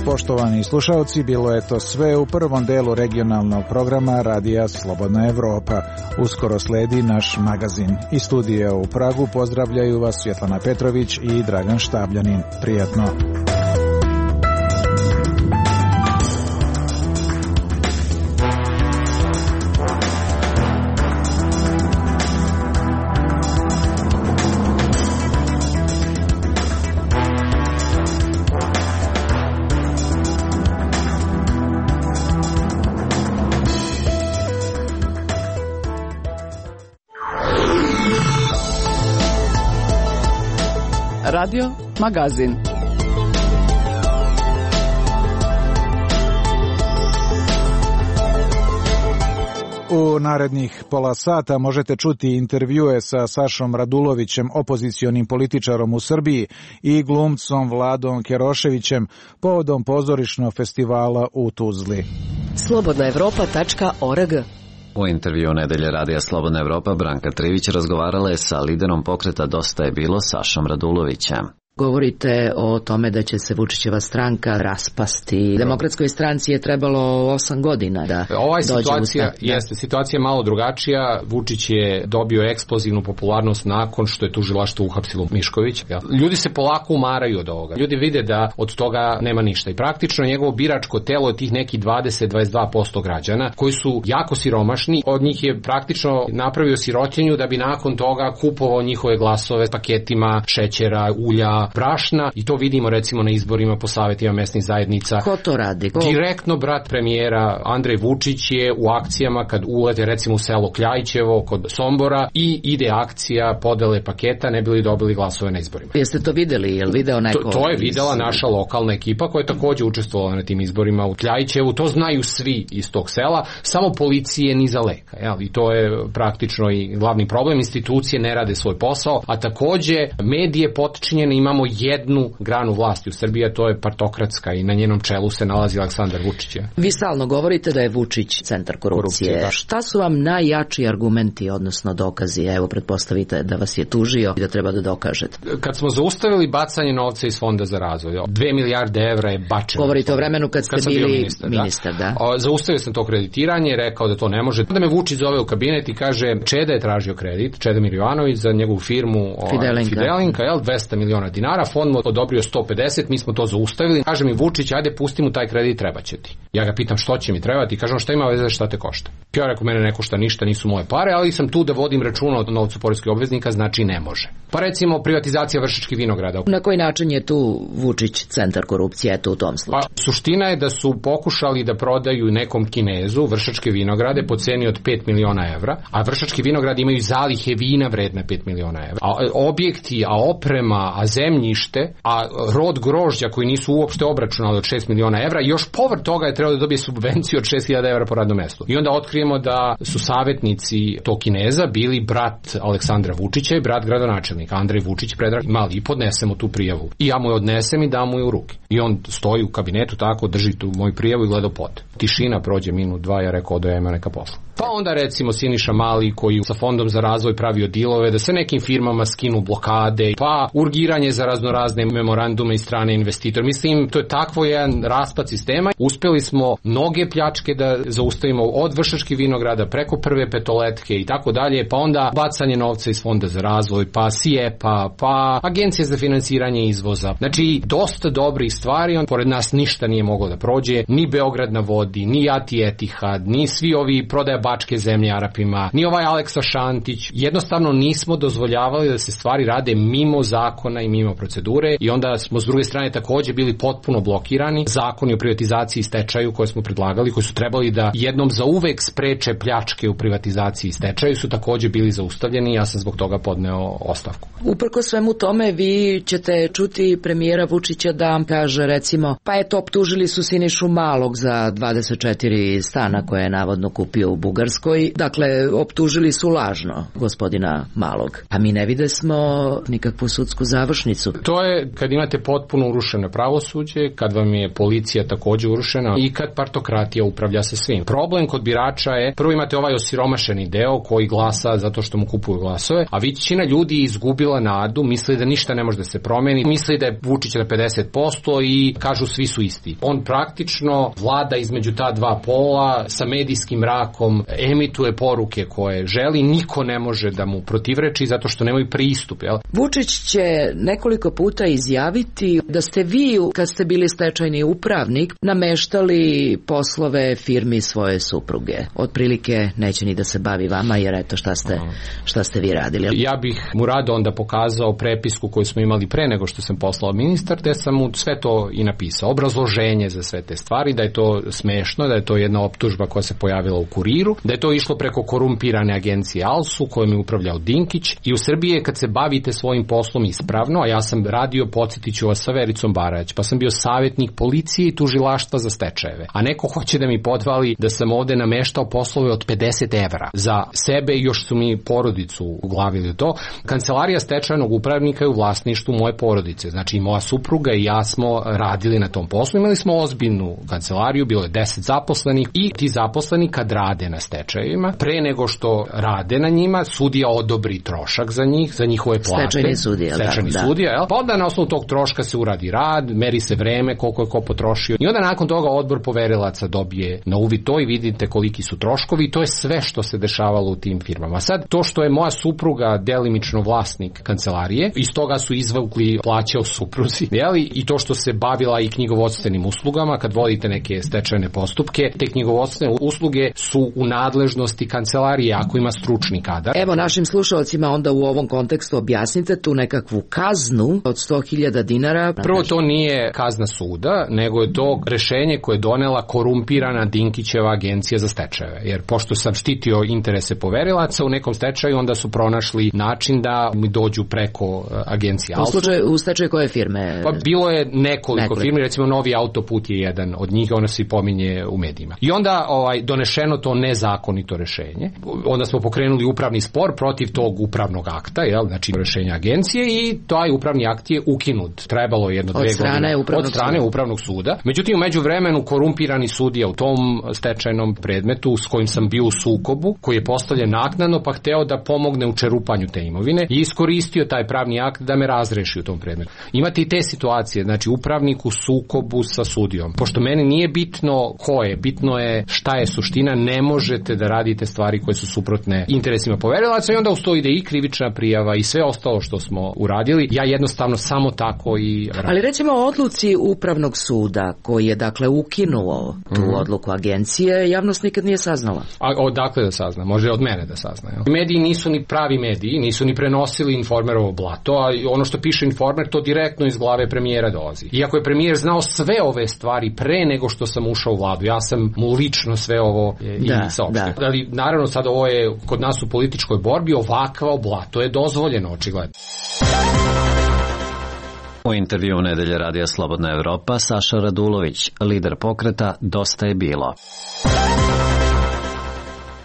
S1: Poštovani slušalci, bilo je to sve u prvom delu regionalnog programa Radija Slobodna Evropa. Uskoro sledi naš magazin. Iz studija u Pragu pozdravljaju vas Svjetlana Petrović i Dragan Štabljanin. Prijatno.
S4: Radio Magazin.
S1: U narednih pola sata možete čuti intervjue sa Sašom Radulovićem, opozicionim političarom u Srbiji, i glumcom Vladom Keroševićem povodom pozorišnog festivala u Tuzli.
S7: Slobodnaevropa.org.
S14: U intervju Nedelje radija Slobodna Evropa Branka Trivić razgovarala je sa liderom pokreta Dosta je bilo Sašom Radulovićem.
S15: Govorite o tome da će se Vučićeva stranka raspasti. Demokratskoj stranci je trebalo 8 godina da dođe u start.
S16: Situacija je malo drugačija. Vučić je dobio eksplozivnu popularnost nakon što je tužilaštvo uhapsilo Mišković. Ljudi se polako umaraju od ovoga. Ljudi vide da od toga nema ništa. I praktično njegovo biračko telo je tih nekih 20-22% građana koji su jako siromašni. Od njih je praktično napravio sirotinju da bi nakon toga kupovao njihove glasove s paketima šećera, ulja, brašna, i to vidimo recimo na izborima po savjetima mesnih zajednica.
S15: Ko to radi?
S16: Direktno brat premijera Andrej Vučić je u akcijama kad ulete recimo u selo Kljajićevo kod Sombora i ide akcija podele paketa, ne bili dobili glasove na izborima.
S15: Jeste to videli? Je li video neko?
S16: To je videla naša lokalna ekipa koja je također učestvovala na tim izborima u Kljajićevu. To znaju svi iz tog sela, samo policije ni za leka. I to je praktično i glavni problem. Institucije ne rade svoj posao, a također medije potčinjene. Imamo jednu granu vlasti u Srbiji, a to je partokratska, i na njenom čelu se nalazi Aleksandar Vučić.
S15: Vi stalno govorite da je Vučić centar korupcije. Šta su vam najjači argumenti, odnosno dokazi? Evo, pretpostavite da vas je tužio i da treba da dokažete.
S16: Kad smo zaustavili bacanje novca iz Fonda za razvoj, 2 milijarde evra je bačeno.
S15: Govorite o vremenu kad ste bili ministar, da?
S16: Zaustavio sam to kreditiranje, rekao da to ne može. Da me Vučić zove u kabinet i kaže, Čeda je tražio kredit, Čeda Miljovanović, za njegovu firmu Fidelinka, 200 miliona dinara, fond mu odobrio 150, mi smo to zaustavili. Kaže mi Vučić, ajde pusti mu taj kredit, treba će ti. Ja ga pitam što će mi trebati, kažem šta ima veze, šta te košta. Ja rekao, mene ne košta ništa, nisu moje pare, ali sam tu da vodim računa o novcu poreskih obveznika, znači ne može. Pa recimo privatizacija Vršačkih vinograda.
S15: Na koji način je tu Vučić centar korupcije u tom slučaju?
S16: Pa suština je da su pokušali da prodaju nekom Kinezu Vršačke vinograde po ceni od 5 miliona evra, a Vršački vinogradi imaju zalihe vina vredne 5 miliona evra. A objekti, a oprema, a zemljište, a rod grožđa koji nisu uopšte obračunali od 6 miliona evra, još povrh toga je trebalo da dobije subvenciju od 6.000 evra po radnom mestu. I onda otkrijemo da su savjetnici tog Kineza bili brat Aleksandra Vučića i brat gradonačelnika Andrej Vučić, Predrag Mali, i podnesemo tu prijavu. I ja mu je odnesem i dam mu je u ruke. I on stoji u kabinetu tako, drži tu moju prijavu i gleda pod. Tišina, prođe minut, dva, ja rekao da ja ima neka posla. Pa onda recimo Siniša Mali koji sa Fondom za razvoj pravio dilove da se nekim firmama skinu blokade, pa urgiranje za raznorazne memorandume i strane investitora. Mislim, to je takvo jedan raspad sistema. Uspjeli smo mnoge pljačke da zaustavimo od Vršačkih vinograda preko Prve petoletke i tako dalje, pa onda bacanje novca iz Fonda za razvoj, pa SIEPA, pa Agencija za finansiranje izvoza. Znači, dosta dobrih stvari, pored nas ništa nije moglo da prođe, ni Beograd na vodi, ni Ati Etihad, ni svi ovi prodaja bačke zemlje Arapima, ni ovaj Aleksa Šantić. Jednostavno nismo dozvoljavali da se stvari rade mimo zakona i mimo procedure, i onda smo s druge strane također bili potpuno blokirani. Zakoni o privatizaciji i stečaju koje smo predlagali, koji su trebali da jednom zauvek spreče pljačke u privatizaciji i stečaju, su također bili zaustavljeni i ja sam zbog toga podneo ostavku.
S15: Uprko svemu tome vi ćete čuti premijera Vučića da vam kaže recimo, pa eto optužili su Sinišu Malog za 24 stana koje je navodno kupio u Bugarskoj. Dakle, optužili su lažno gospodina Malog. A mi ne vide smo nikakvu sudsku završnicu.
S16: To je kad imate potpuno urušeno pravosuđe, kad vam je policija također urušena i kad partokratija upravlja sa svim. Problem kod birača je, prvo imate ovaj osiromašeni deo koji glasa zato što mu kupuju glasove, a većina ljudi je izgubila nadu, misli da ništa ne može da se promeni, misli da je Vučić na 50% i kažu svi su isti. On praktično vlada između ta dva pola, sa medijskim mrakom, emituje poruke koje želi, niko ne može da mu protivreči zato što nemaju pristup. Jel?
S15: Vučić će nekoliko puta izjaviti da ste vi, kad ste bili stečajni upravnik, nameštali poslove firmi svoje supruge. Otprilike neće ni da se bavi vama, jer eto šta ste vi radili.
S16: Ja bih mu rado onda pokazao prepisku koju smo imali pre nego što sam poslao ministar, te sam mu sve to i napisao. Obrazloženje za sve te stvari, da je to smešno, da je to jedna optužba koja se pojavila u Kuriru, da je to išlo preko korumpirane agencije ALSU kojom je upravljao Dinkić, i u Srbiji kad se bavite svojim poslom ispravno, a ja sam radio, podsjetiću vas, sa Vericom Barać, pa sam bio savjetnik policije i tužilaštva za stečajeve. A neko hoće da mi podvali da sam ovde nameštao poslove od 50 evra za sebe i još su mi porodicu uglavili u to. Kancelarija stečajnog upravnika je u vlasništvu moje porodice. Znači, moja supruga i ja smo radili na tom poslu. Imali smo ozbiljnu kancelariju, bilo je 10 zaposlenih i ti zaposleni kad rade na stečajevima, pre nego što rade na njima, sudija odobri trošak za njih, za njihove plate.
S15: Stečajni sudija,
S16: jel? Pa onda na osnovu tog troška se uradi rad, meri se vreme, koliko je ko potrošio. I onda nakon toga odbor poverilaca dobije na uvid to i vidite koliki su troškovi i to je sve što se dešavalo u tim firmama. Sad, to što je moja supruga delimično vlasnik kancelarije, iz toga su izvukli plaće o supruzi, jel? I to što se bavila i knjigovodstvenim uslugama, kad vodite neke stečajne postupke, te knjigovodstvene usluge su u nadležnosti kancelarije ako ima stručni kadar.
S15: Evo našim slušalcima onda u ovom kontekstu objasnite tu nekakvu kaznu od 100.000 dinara.
S16: Prvo, to nije kazna suda, nego je to rešenje koje je donela korumpirana Dinkićeva agencija za stečajeve. Jer pošto sam štitio interese poverilaca u nekom stečaju, onda su pronašli način da mi dođu preko agencije Alfa.
S15: U stečaju koje firme?
S16: Pa bilo je nekoliko firmi, recimo Novi autoput je jedan od njih, ona se i pominje u medijima. I onda donešeno to nezakonito rešenje. Onda smo pokrenuli upravni spor protiv tog upravnog akta, jel? Znači rešenja agencije i taj upravni akt je ukinut. Trebalo je 1-2 godine od strane upravnog suda. Međutim, u međuvremenu korumpirani sudija u tom stečajnom predmetu s kojim sam bio u sukobu, koji je postavljen naknadno pa hteo da pomogne u čerupanju te imovine i iskoristio taj pravni akt da me razreši u tom predmetu. Imate i te situacije, znači upravnik u sukobu sa sudijom. Pošto meni nije bitno ko je, bitno je šta je suština, ne možete da radite stvari koje su suprotne interesima poverilaca i onda uz to ide i krivična prijava i sve ostalo što smo uradili. Ja jednostavno samo tako i radim.
S15: Ali recimo o odluci upravnog suda koji je dakle ukinuo tu odluku agencije, javnost nikad nije saznala.
S16: A odakle da sazna? Može od mene da sazna. Jel? Mediji nisu ni pravi mediji, nisu ni prenosili Informerovo blato, a ono što piše Informer to direktno iz glave premijera dolazi. Iako je premijer znao sve ove stvari pre nego što sam ušao u vladu, ja sam mu lično sve ovo i saopštio. Ali naravno sad ovo je kod nas u političkoj borbi, ovakva blato je dozvoljeno očigledno.
S14: U intervju Nedelje radija Slobodna Evropa Saša Radulović, lider pokreta Dosta je bilo.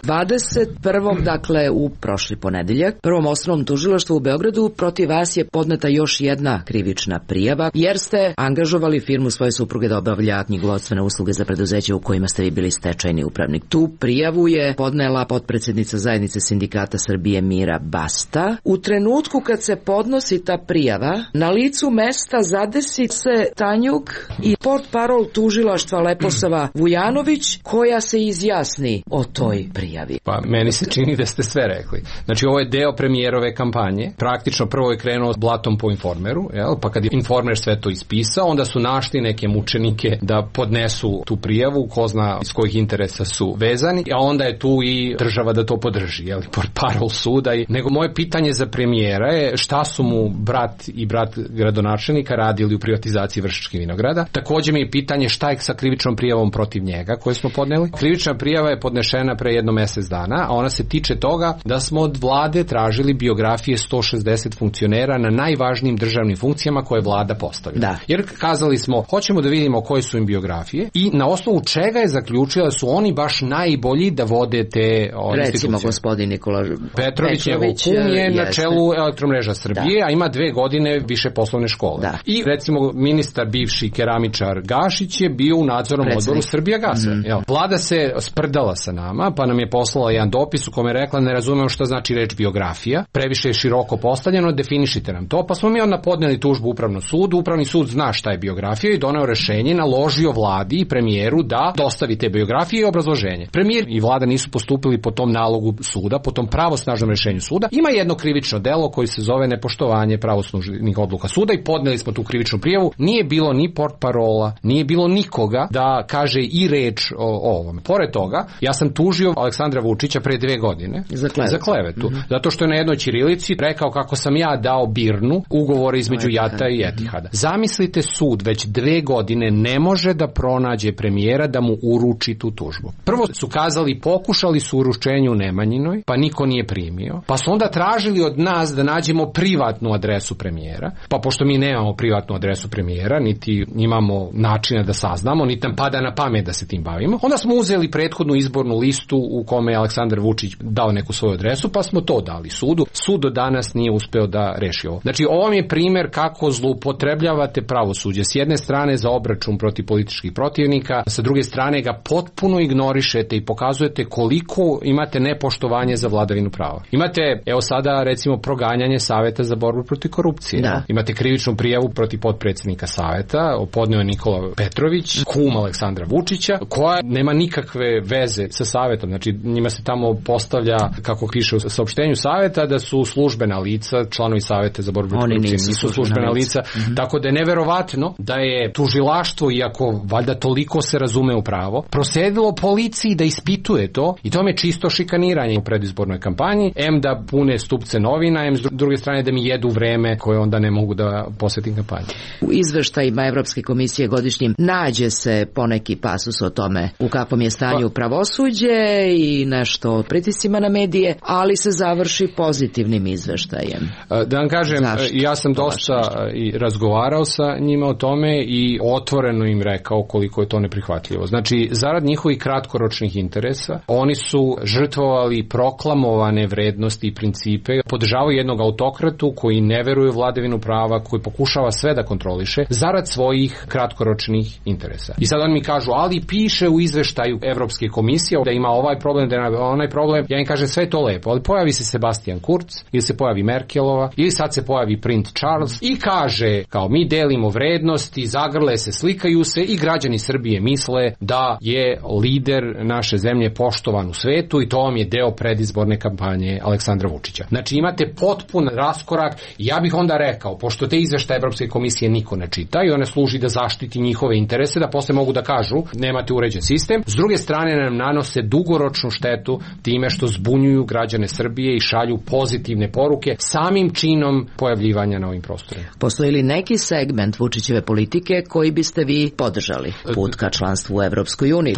S15: 21. dakle u prošli ponedeljak Prvom osnovnom tužilaštvu u Beogradu protiv vas je podneta još jedna krivična prijava jer ste angažovali firmu svoje supruge da obavlja knjigovodstvene usluge za preduzeće u kojima ste vi bili stečajni upravnik. Tu prijavu je podnela potpredsednica zajednice sindikata Srbije Mira Basta. U trenutku kad se podnosi ta prijava, na licu mesta zadesi se Tanjug i portparol tužilaštva Leposava Vujanović koja se izjasni o toj prijavi.
S16: Pa meni se čini da ste sve rekli. Znači ovo je deo premijerove kampanje. Praktično prvo je krenuo s blatom po Informeru, jel? Pa kad je Informer sve to ispisao, onda su našli neke mučenike da podnesu tu prijavu, ko zna iz kojih interesa su vezani, a onda je tu i država da to podrži, jel? Portparol suda. Nego moje pitanje za premijera je šta su mu brat i brat gradonačelnika radili u privatizaciji Vršačkih vinograda. Takođe mi je pitanje šta je sa krivičnom prijavom protiv njega koju smo podneli. Krivična prijava je podnešena pre jedno mjesec dana, a ona se tiče toga da smo od vlade tražili biografije 160 funkcionera na najvažnijim državnim funkcijama koje vlada postavila.
S15: Da.
S16: Jer kazali smo, hoćemo da vidimo koje su im biografije i na osnovu čega je zaključila da su oni baš najbolji da vode te institucije.
S15: Recimo gospodin Nikola
S16: Petrović je na čelu Elektromreža Srbije, a ima 2 godine više poslovne škole.
S15: Da.
S16: I recimo ministar bivši keramičar Gašić je bio u nadzornom odboru Srbijagasa. Vlada se sprdala sa nama, pa nam je poslala jedan dopis u kome je rekla ne razumemo šta znači reč biografija, previše je široko postavljeno, definišite nam to, pa smo mi onda podneli tužbu Upravnom sudu, Upravni sud zna šta je biografija i doneo rešenje, naložio vladi i premijeru da dostavi te biografije i obrazloženje. Premijer i vlada nisu postupili po tom nalogu suda, po tom pravosnažnom rešenju suda. Ima jedno krivično delo koji se zove nepoštovanje pravosnažnih odluka suda i podneli smo tu krivičnu prijavu. Nije bilo ni portparola, nije bilo nikoga da kaže i reč o ovom. Pored toga, ja sam tužio Aleksandra Vučića pre 2 godine za klevetu. Zato što je na jednoj ćirilici rekao kako sam ja dao Birnu ugovore između JAT-a i Etihada. Zamislite, sud već 2 godine ne može da pronađe premijera da mu uruči tu tužbu. Prvo su kazali, pokušali su uručenje u Nemanjinoj, pa niko nije primio. Pa su onda tražili od nas da nađemo privatnu adresu premijera. Pa pošto mi nemamo privatnu adresu premijera, niti imamo načina da saznamo, niti nam pada na pamet da se tim bavimo, onda smo uzeli prethodnu izbornu listu u kome je Aleksandar Vučić dao neku svoju adresu, pa smo to dali sudu. Sud do danas nije uspeo da reši ovo. Znači, ovo je primjer kako zloupotrebljavate pravosuđe. S jedne strane za obračun protiv političkih protivnika, sa druge strane ga potpuno ignorišete i pokazujete koliko imate nepoštovanje za vladavinu prava. Imate, evo sada, recimo, proganjanje Saveta za borbu protiv korupcije. Da. Imate krivičnu prijavu protiv potpredsjednika Saveta, podneo je Nikola Petrović, kum Aleksandra Vučića, koja nema nikakve veze sa Savetom. Znači, njima se tamo postavlja, kako piše u saopštenju Saveta, da su službena lica, članovi Saveta za borbu protiv korupcije nisu službena lica. Tako da je neverovatno da je tužilaštvo, iako valjda toliko se razume u pravo, prosledilo policiji da ispituje to, i to je čisto šikaniranje u predizbornoj kampanji, da pune stupce novina, s druge strane da mi jedu vreme koje onda ne mogu da posvetim kampanji.
S15: U izveštajima Evropske komisije godišnjim nađe se poneki pasus o tome u kakvom je stanju pravosuđe i nešto o pritiscima na medije, ali se završi pozitivnim izveštajem.
S16: Da vam kažem, ja sam dosta i razgovarao sa njima o tome i otvoreno im rekao koliko je to neprihvatljivo. Znači, zarad njihovih kratkoročnih interesa, oni su žrtvovali proklamovane vrednosti i principe, podržavaju jednog autokratu koji ne veruje u vladavinu prava, koji pokušava sve da kontroliše, zarad svojih kratkoročnih interesa. I sad oni mi kažu, ali piše u izveštaju Evropske komisije da ima ovaj problem, da ima onaj problem. Ja im kažem, sve je to lepo, ali pojavi se Sebastian Kurz, ili se pojavi Merkelova, ili sad se pojavi princ Charles i kaže, kao mi delimo vrednosti, zagrle se, slikaju se i građani Srbije misle da je lider naše zemlje poštovan u svetu i to vam je deo predizborne kampanje Aleksandra Vučića. Znači, imate potpun raskorak. Ja bih onda rekao, pošto te izveštaje Evropske komisije niko ne čita i one služi da zaštiti njihove interese, da posle mogu da kažu nemate uređen sistem, s druge strane nam nanose dugoročnu štetu time što zbunjuju građane Srbije i šalju pozitivne poruke samim činom pojavljivanja na ovim prostorima.
S15: Postoji li neki segment Vučićeve politike koji biste vi podržali? Put ka članstvu u Evropskoj uniji,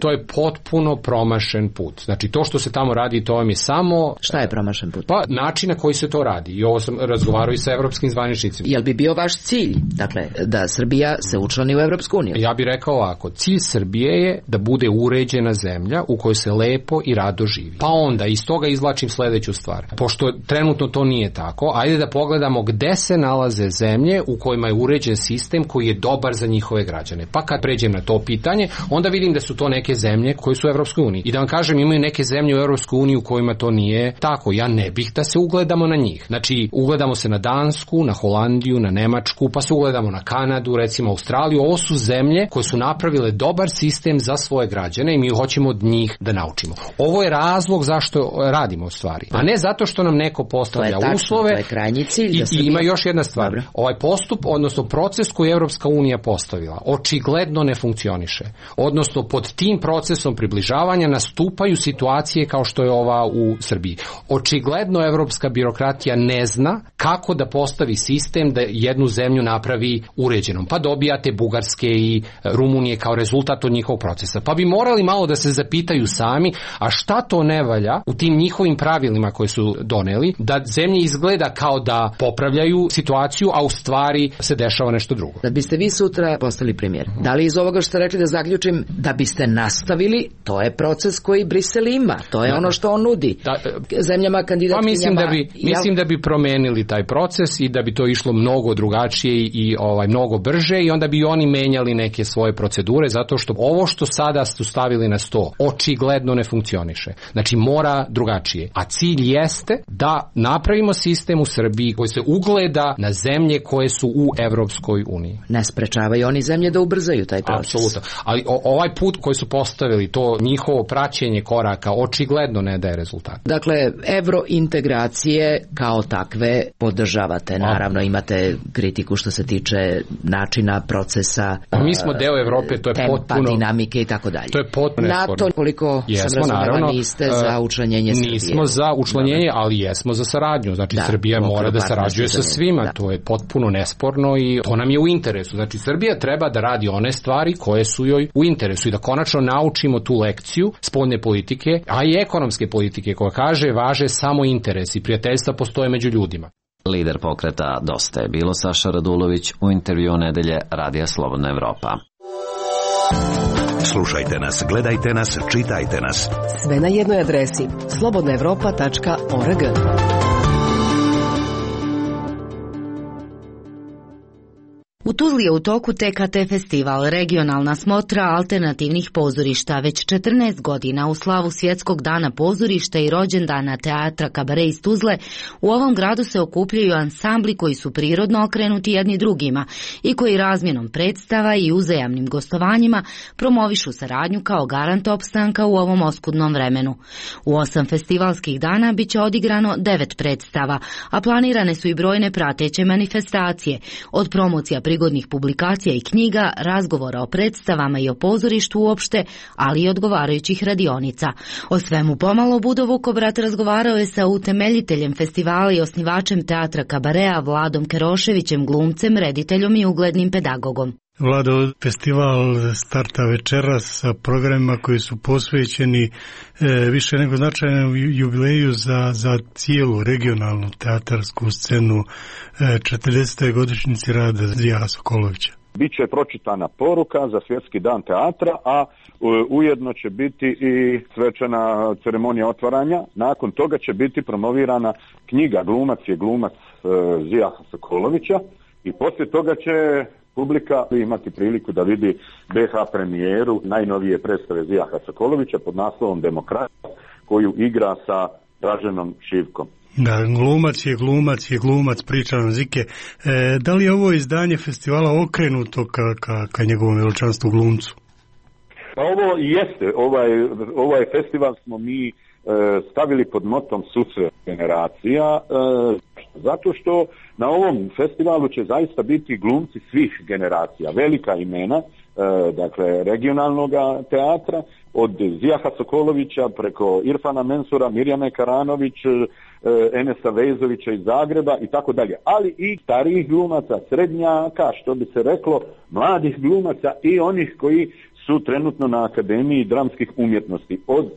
S16: to je potpuno promašen put. Znači, to što se tamo radi, to vam je samo...
S15: Šta je promašen put?
S16: Pa, način na koji se to radi. I ovo sam razgovarao i sa evropskim zvaničnicima.
S15: Jel bi bio vaš cilj, dakle, da Srbija se učlani u Evropsku uniju?
S16: Ja bih rekao ovako, cilj Srbije je da bude uređena zemlja u kojoj se lepo i rado živi. Pa onda, iz toga izvlačim sledeću stvar. Pošto trenutno to nije tako, ajde da pogledamo gde se nalaze zemlje u kojima je uređen sistem koji je dobar za njihove građane. Pa kad pređem na to pitanje, onda vidim da su to neke zemlje koje su u Evropskoj uniji. I da vam kažem, imaju neke zemlje u Evropskoj uniji u kojima to nije tako. Ja ne bih da se ugledamo na njih. Znači, ugledamo se na Dansku, na Holandiju, na Nemačku, pa se ugledamo na Kanadu, recimo Australiju. Ovo su zemlje koje su napravile dobar sistem za svoje građane i mi hoćemo od njih da naučimo. Ovo je razlog zašto radimo stvari. A ne zato što nam neko postavlja uslove.
S15: To je krajnji cilj.
S16: I ima još jedna stvar. Dobro. Ovaj postup, odnosno proces koji je Evropska unija postavila, očigledno ne funkcioniše. Odnosno, pod tim procesom približavanja nastupaju situacije kao što je ova u Srbiji. Očigledno evropska birokratija ne zna kako da postavi sistem da jednu zemlju napravi uređenom. Pa dobijate Bugarske i Rumunije kao rezultat od njihovog procesa. Pa bi morali malo da se zapitaju sami, a šta to ne valja u tim njihovim pravilima koje su doneli, da zemlje izgleda kao da popravljaju situaciju, a u stvari se dešava nešto drugo.
S15: Da biste vi sutra postali premijer, da li iz ovoga što ste rekli da zaključim, da biste nastavili, to je proces koji Brisel ima, to je ono što on nudi zemljama kandidatkinjama.
S16: Pa mislim da bi promenili taj proces i da bi to išlo mnogo drugačije i mnogo brže i onda bi oni menjali neke svoje procedure, zato što ovo što sada su stavili na sto očigledno ne funkcioniše. Znači, mora drugačije. A cilj jeste da napravimo sistem u Srbiji koji se ugleda na zemlje koje su u Evropskoj uniji.
S15: Ne sprečavaju oni zemlje da ubrzaju taj proces.
S16: Apsolutno. Ali ovaj put koji su postavili, to njihovo praćenje koraka očigledno ne daje rezultat.
S15: Dakle, evrointegracije kao takve podržavate. Naravno imate kritiku što se tiče načina, procesa,
S16: mi smo deo Evrope, to je
S15: tempa,
S16: potpuno
S15: dinamike i tako dalje.
S16: To je potpuno
S15: NATO, koliko sam razumela, niste za učlanjenje Srbije.
S16: Nismo za učlanjenje, ali jesmo za saradnju. Znači Srbija mora da sarađuje sa svima. To je potpuno nesporno i to nam je u interesu. Znači Srbija treba da radi one stvari koje su joj u interesu i da konačno naučimo tu lekciju spoljne politike, a i ekonomske politike koja kaže važe samo interesi, prijateljstva postoje među ljudima.
S14: Lider pokreta Dosta je bilo Saša Radulović u intervjuu nedelje Radija Slobodna Evropa.
S5: Slušajte nas, gledajte nas, čitajte nas.
S7: Sve na jednoj adresi slobodnaevropa.org.
S4: U Tuzli je u toku TKT festival, regionalna smotra alternativnih pozorišta. Već 14 godina u slavu Svjetskog dana pozorišta i rođendana teatra Kabare iz Tuzle, u ovom gradu se okupljaju ansambli koji su prirodno okrenuti jedni drugima i koji razmjenom predstava i uzajamnim gostovanjima promovišu saradnju kao garant opstanka u ovom oskudnom vremenu. U 8 festivalskih dana bit će odigrano 9 predstava, a planirane su i brojne prateće manifestacije, od promocija prigodnih publikacija i knjiga, razgovora o predstavama i o pozorištu uopšte, ali i odgovarajućih radionica. O svemu pomalo Budo Vukobrat razgovarao je sa utemeljiteljem festivala i osnivačem teatra Kabarea Vladom Keroševićem, glumcem, rediteljom i uglednim pedagogom.
S13: Vlado, festival starta večeras sa programima koji su posvećeni više nego značajnom jubileju za cijelu regionalnu teatarsku scenu 40. godišnjici rada Zvijaha Sokolovića.
S17: Biće pročitana poruka za Svjetski dan teatra, a ujedno će biti i svečana ceremonija otvaranja. Nakon toga će biti promovirana knjiga Glumac je glumac Zvijaha Sokolovića i poslije toga će publika imati priliku da vidi BH premijeru najnovije predstave Zvijaha Sokolovića pod naslovom Demokracija, koju igra sa Draženom Šivkom.
S13: Da, glumac je glumac, priča nam Zike. Da li je ovo izdanje festivala okrenuto ka njegovom veličanstvu glumcu?
S17: Pa ovo jeste, ovaj festival smo mi stavili pod motom susret generacija, zato što na ovom festivalu će zaista biti glumci svih generacija, velika imena, dakle regionalnog teatra, od Zvijaha Sokolovića preko Irfana Mensura, Mirjane Karanović, Enesa Vezovića iz Zagreba i tako dalje, ali i starijih glumaca, srednjaka, što bi se reklo, mladih glumaca i onih koji su trenutno na Akademiji dramskih umjetnosti, od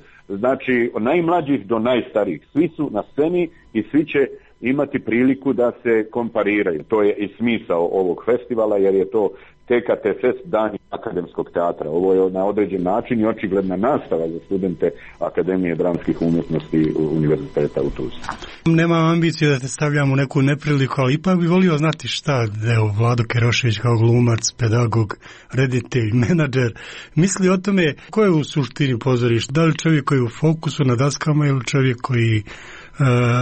S17: najmlađih do najstarijih. Svi su na sceni i svi će imati priliku da se kompariraju. To je i smisao ovog festivala, jer je to TKT Fest dan akademskog teatra. Ovo je na određen način i očigledna nastava za studente Akademije dramskih umjetnosti Univerziteta u Tuzli.
S13: Nemam ambicije da te stavljam u neku nepriliku, ali ipak bi volio znati šta Vlado Kerošević kao glumac, pedagog, reditelj, menadžer misli o tome ko je u suštini pozorište. Da li čovjek koji je u fokusu na daskama ili čovjek koji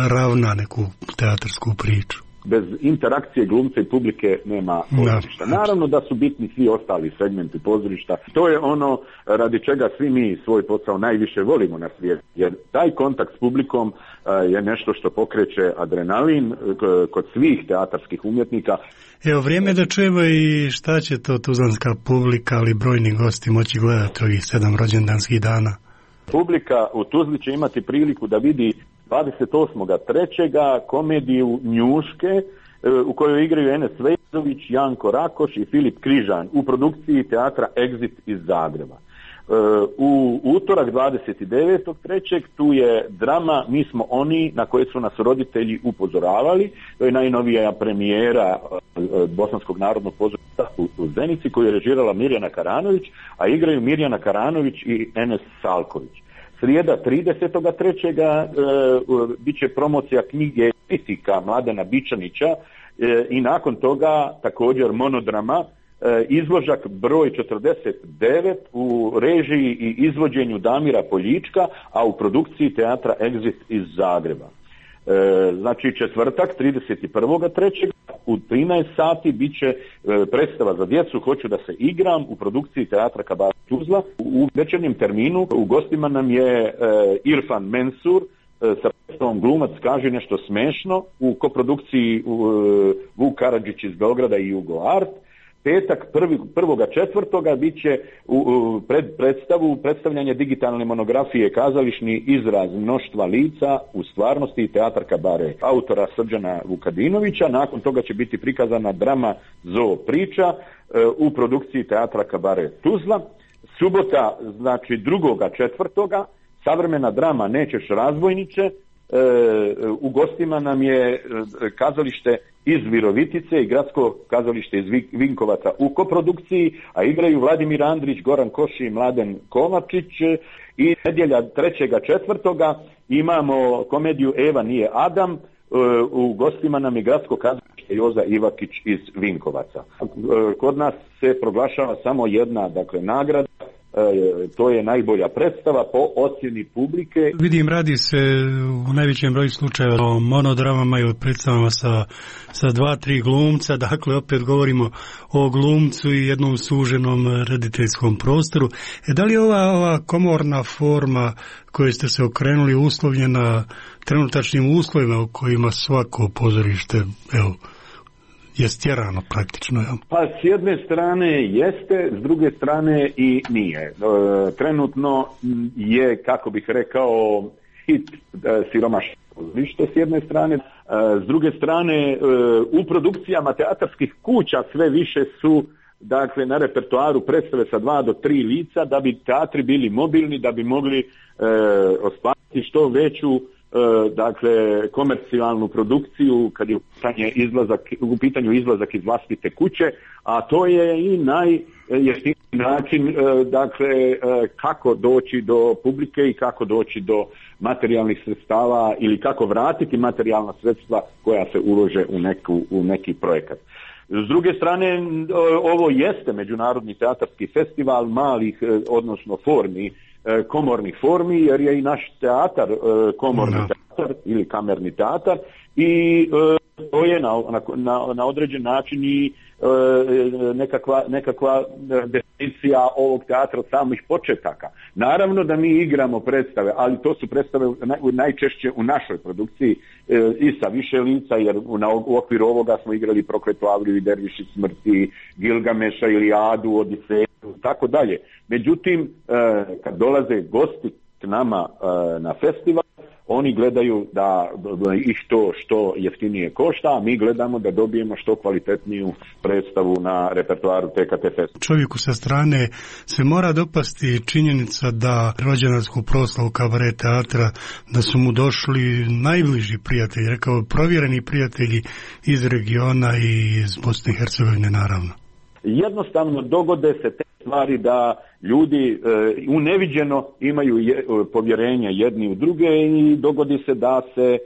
S13: ravna neku teatarsku priču?
S17: Bez interakcije glumca i publike nema pozorišta. Naravno da su bitni svi ostali segmenti pozorišta. To je ono radi čega svi mi svoj posao najviše volimo na svijetu. Jer taj kontakt s publikom je nešto što pokreće adrenalin kod svih teatarskih umjetnika.
S13: Evo, vrijeme da čujemo i šta će to tuzlanska publika, ali brojni gosti moći gledati ovih 7 rođendanskih dana.
S17: Publika u Tuzli će imati priliku da vidi 28.3. komediju Njuške u kojoj igraju Enes Vezović, Janko Rakoš i Filip Križan u produkciji teatra Exit iz Zagreba. U utorak 29.3. tu je drama Mi smo oni na koje su nas roditelji upozoravali. To je najnovija premijera Bosanskog narodnog pozorišta u Zenici koju je režirala Mirjana Karanović, a igraju Mirjana Karanović i Enes Salković. Srijeda 30.3. bit će promocija knjige Kritika Mladena Bičanića i nakon toga također monodrama izložak broj 49 u režiji i izvođenju Damira Poljička, a u produkciji teatra Exit iz Zagreba. Znači četvrtak 31.3. u 13 sati bit će predstava za djecu Hoću da se igram u produkciji teatra Kabare Tuzla. U večernjem terminu u gostima nam je Irfan Mensur sa on glumac kaže nešto smešno u koprodukciji Vuk Karadžić iz Beograda i Jugo Art. Petak 1.4. bit će u predstavljanje digitalne monografije Kazališni izraz mnoštva lica u stvarnosti i teatar Kabare autora Srđana Vukadinovića. Nakon toga će biti prikazana drama Zoo priča u produkciji teatra Kabare Tuzla. Subota, znači 2.4. savremena drama Nećeš razbojniče. U gostima nam je kazalište iz Virovitice i gradsko kazalište iz Vinkovaca u koprodukciji, a igraju Vladimir Andrić, Goran Koši i Mladen Kovačić. I nedjelja 3.4. imamo komediju Eva nije Adam. U gostima nam je gradsko kazalište Joza Ivakić iz Vinkovaca. Kod nas se proglašava samo jedna, dakle, nagrada. To je najbolja predstava po ocjeni publike.
S13: Vidim, radi se u najvećem broju slučajeva o monodramama i o predstavama sa 2-3 glumca, dakle opet govorimo o glumcu i jednom suženom rediteljskom prostoru. Da li je ova komorna forma koje ste se okrenuli uslovljena trenutačnim uslovima u kojima svako pozorište, evo, je stjerano praktično? Ja?
S17: Pa s jedne strane jeste, s druge strane i nije. Trenutno je, kako bih rekao, hit siromašno pozorište s jedne strane. S druge strane, u produkcijama teatarskih kuća sve više su, dakle, na repertoaru predstave sa 2 do 3 lica, da bi teatri bili mobilni, da bi mogli ostvariti što veću, dakle, komercijalnu produkciju kad je u pitanju izlazak iz vlastite kuće, a to je i najjeftiniji način, dakle, kako doći do publike i kako doći do materijalnih sredstava ili kako vratiti materijalna sredstva koja se ulože u neki projekat. S druge strane, ovo jeste međunarodni teatarski festival malih, odnosno komornih formi, jer je i naš teatar komorni teatar ili kamerni teatar i to je na određen način i nekakva definicija ovog teatra od samih početaka. Naravno da mi igramo predstave, ali to su predstave najčešće u našoj produkciji i sa više lica, jer u okviru ovoga smo igrali Prokletu Avriju i Derviši smrti, Gilgameša, Iliadu, Odiseju, tako dalje. Međutim, kad dolaze gosti k nama na festival, oni gledaju da ih što jeftinije košta, a mi gledamo da dobijemo što kvalitetniju predstavu na repertoaru TKT festivala.
S13: Čovjeku sa strane se mora dopasti činjenica da rođendansku proslavu Kabare teatra, da su mu došli najbliži prijatelji, rekao provjereni prijatelji iz regiona i iz Bosne i Hercegovine, naravno.
S17: Jednostavno dogode se te stvari da ljudi uneviđeno imaju povjerenje jedni u druge i dogodi se da se,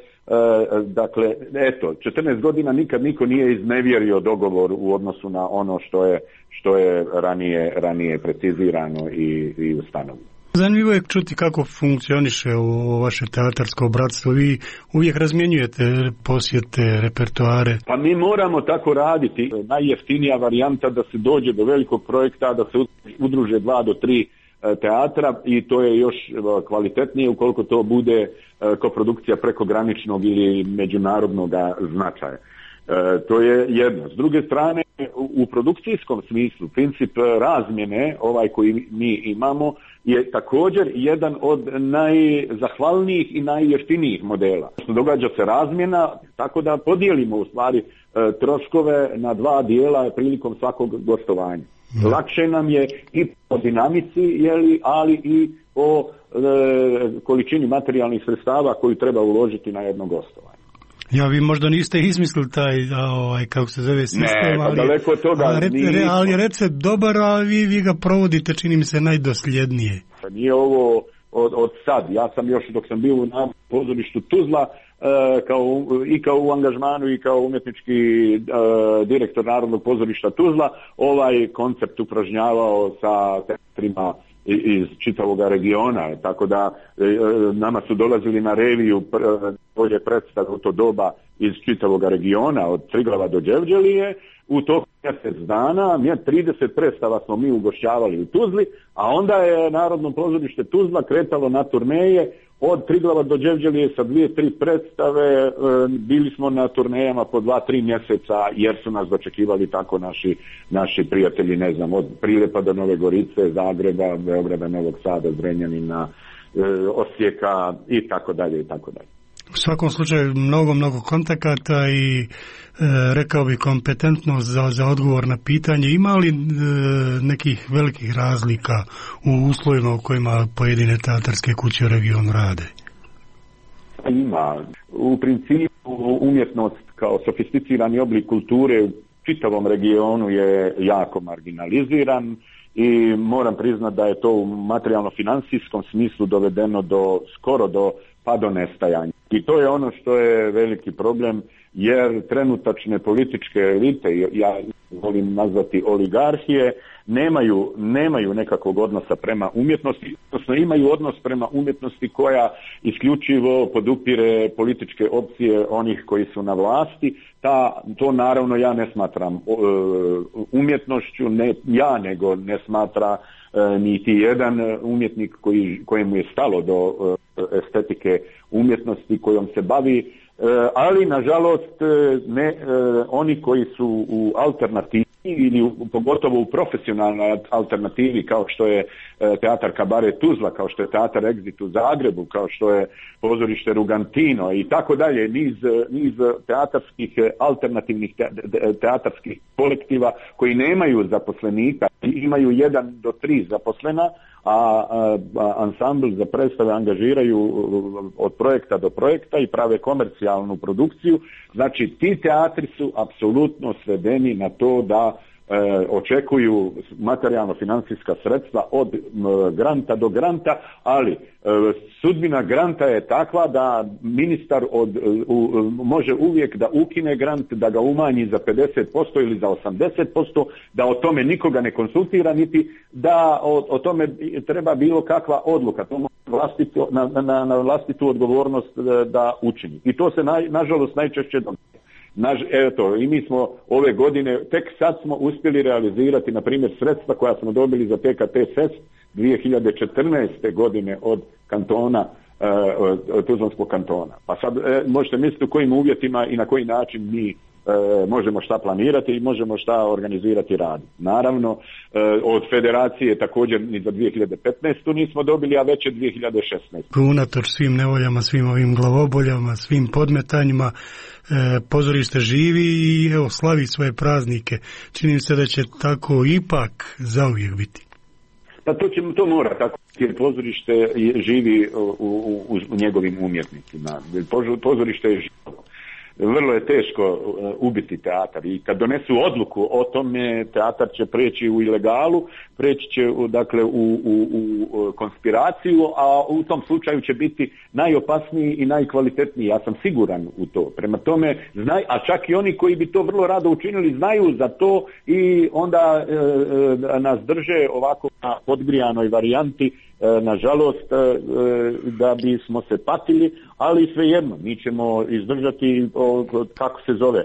S17: dakle, eto, 14 godina nikad niko nije iznevjerio dogovor u odnosu na ono što je ranije precizirano i ustanovljeno.
S13: Zanimljivo je čuti kako funkcioniše ovo vaše teatarsko bratstvo. Vi uvijek razmjenjujete posjete, repertoare.
S17: Pa mi moramo tako raditi. Najjeftinija varijanta da se dođe do velikog projekta, da se udruže 2 do 3 teatra i to je još kvalitetnije ukoliko to bude koprodukcija prekograničnog ili međunarodnog značaja. To je jedno. S druge strane, u produkcijskom smislu princip razmjene, ovaj koji mi imamo, je također jedan od najzahvalnijih i najjeftinijih modela. Događa se razmjena tako da podijelimo u stvari troškove na 2 dijela prilikom svakog gostovanja. Lakše nam je i po dinamici, ali i po količini materijalnih sredstava koju treba uložiti na jedno gostovanje.
S13: Ja, vi možda niste izmislili taj, kako se zove, sistem,
S17: daleko od toga
S13: ali je recept dobar, a vi ga provodite, čini mi se, najdosljednije.
S17: Nije ovo od sad. Ja sam još dok sam bio na pozorištu Tuzla, kao u angažmanu i kao umjetnički direktor Narodnog pozorišta Tuzla, ovaj koncept upražnjavao sa teatrima iz čitavog regiona, tako da nama su dolazili na reviju bolje predstave u to doba iz čitavog regiona, od Triglava do Đevđelije. U toku mjesec dana 30 predstava smo mi ugošćavali u Tuzli, a onda je Narodno pozorište Tuzla kretalo na turneje od Triglava do Đevđelije sa 2-3 predstave, bili smo na turnejama po 2-3 mjeseca jer su nas dočekivali tako naši prijatelji, ne znam, od Prilepa do Nove Gorice, Zagreba, Beograda, Novog Sada, Zrenjanina, Osijeka i tako dalje i tako dalje.
S13: U svakom slučaju mnogo kontakata i rekao bi kompetentnost za odgovor na pitanje. Ima li nekih velikih razlika u uslovima u kojima pojedine teatarske kuće u regionu rade?
S17: Ima. U principu umjetnost kao sofisticirani oblik kulture u čitavom regionu je jako marginaliziran i moram priznati da je to u materijalno-financijskom smislu dovedeno skoro do nestajanja. I to je ono što je veliki problem, jer trenutačne političke elite, ja volim nazvati oligarhije, nemaju nekakvog odnosa prema umjetnosti, odnosno imaju odnos prema umjetnosti koja isključivo podupire političke opcije onih koji su na vlasti. To naravno ja ne smatram umjetnošću, ne ja, nego ne smatra niti jedan umjetnik kojemu je stalo do estetike umjetnosti kojom se bavi, ali nažalost oni koji su u alternativi ili pogotovo u profesionalnoj alternativi kao što je teatar Kabaret Tuzla, kao što je teatar Exit u Zagrebu, kao što je pozorište Rugantino i tako dalje, niz teatarskih alternativnih teatarskih kolektiva koji nemaju zaposlenika, imaju 1 do 3 zaposlena, a ansambl za predstave angažiraju od projekta do projekta i prave komercijalnu produkciju. Znači ti teatri su apsolutno svedeni na to da očekuju materijalno-financijska sredstva od granta do granta, ali sudbina granta je takva da ministar može uvijek da ukine grant, da ga umanji za 50% ili za 80%, da o tome nikoga ne konsultira, niti da o tome treba bilo kakva odluka. To na vlastitu odgovornost da učini. I to se nažalost najčešće događa. Eto, i mi smo ove godine, tek sad smo uspjeli realizirati, na primjer, sredstva koja smo dobili za TKT Fest 2014. godine od kantona, Tuzlanskog kantona. Pa sad možete misliti u kojim uvjetima i na koji način mi možemo šta planirati i možemo šta organizirati rad. Naravno, od federacije također ni za 2015. nismo dobili, a već je 2016.
S13: Unatoč svim nevoljama, svim ovim glavoboljama, svim podmetanjima, pozorište živi i evo slavi svoje praznike. Čini se da će tako ipak zauvijek biti.
S17: Pa to mora tako, jer pozorište živi u njegovim umjetnicima. Pozorište je živo. Vrlo je teško ubiti teatar i kad donesu odluku o tome, teatar će preći u ilegalu, preći će u konspiraciju, a u tom slučaju će biti najopasniji i najkvalitetniji. Ja sam siguran u to. Prema tome, a čak i oni koji bi to vrlo rado učinili znaju za to i onda nas drže ovako na podgrijanoj varijanti, nažalost, da bismo se patili, ali svejedno, mi ćemo izdržati, kako se zove,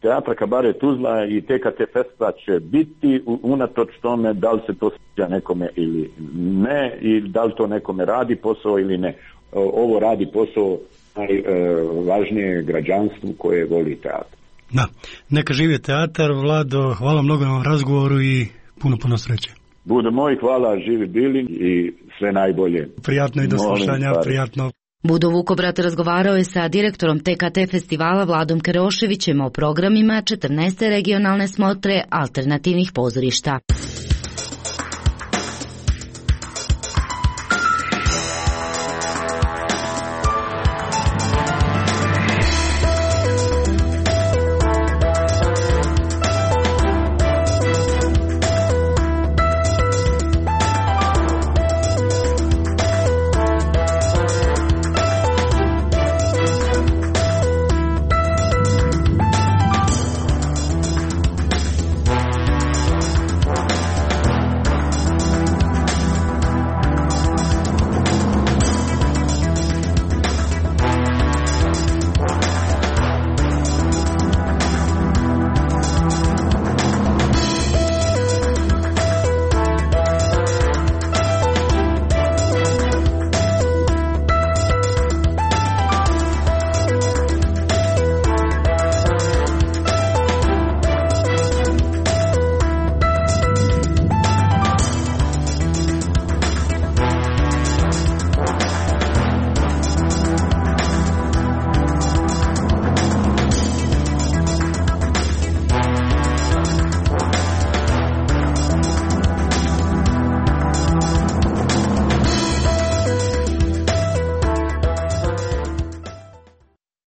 S17: teatra Kabaret Tuzla i TKT Festa će biti unatoč tome da li se to sviđa nekome ili ne, i da li to nekome radi posao ili ne. Ovo radi posao najvažnije građanstvu koje voli teatr.
S13: Da, neka živi teatar. Vlado, hvala mnogo na razgovoru i puno sreće.
S17: Bude moj, hvala, živi bili i sve najbolje.
S13: Prijatno i do slušanja, prijatno.
S4: Budo Vukobrat razgovarao je sa direktorom TKT festivala Vladom Keroševićem o programima 14. regionalne smotre alternativnih pozorišta.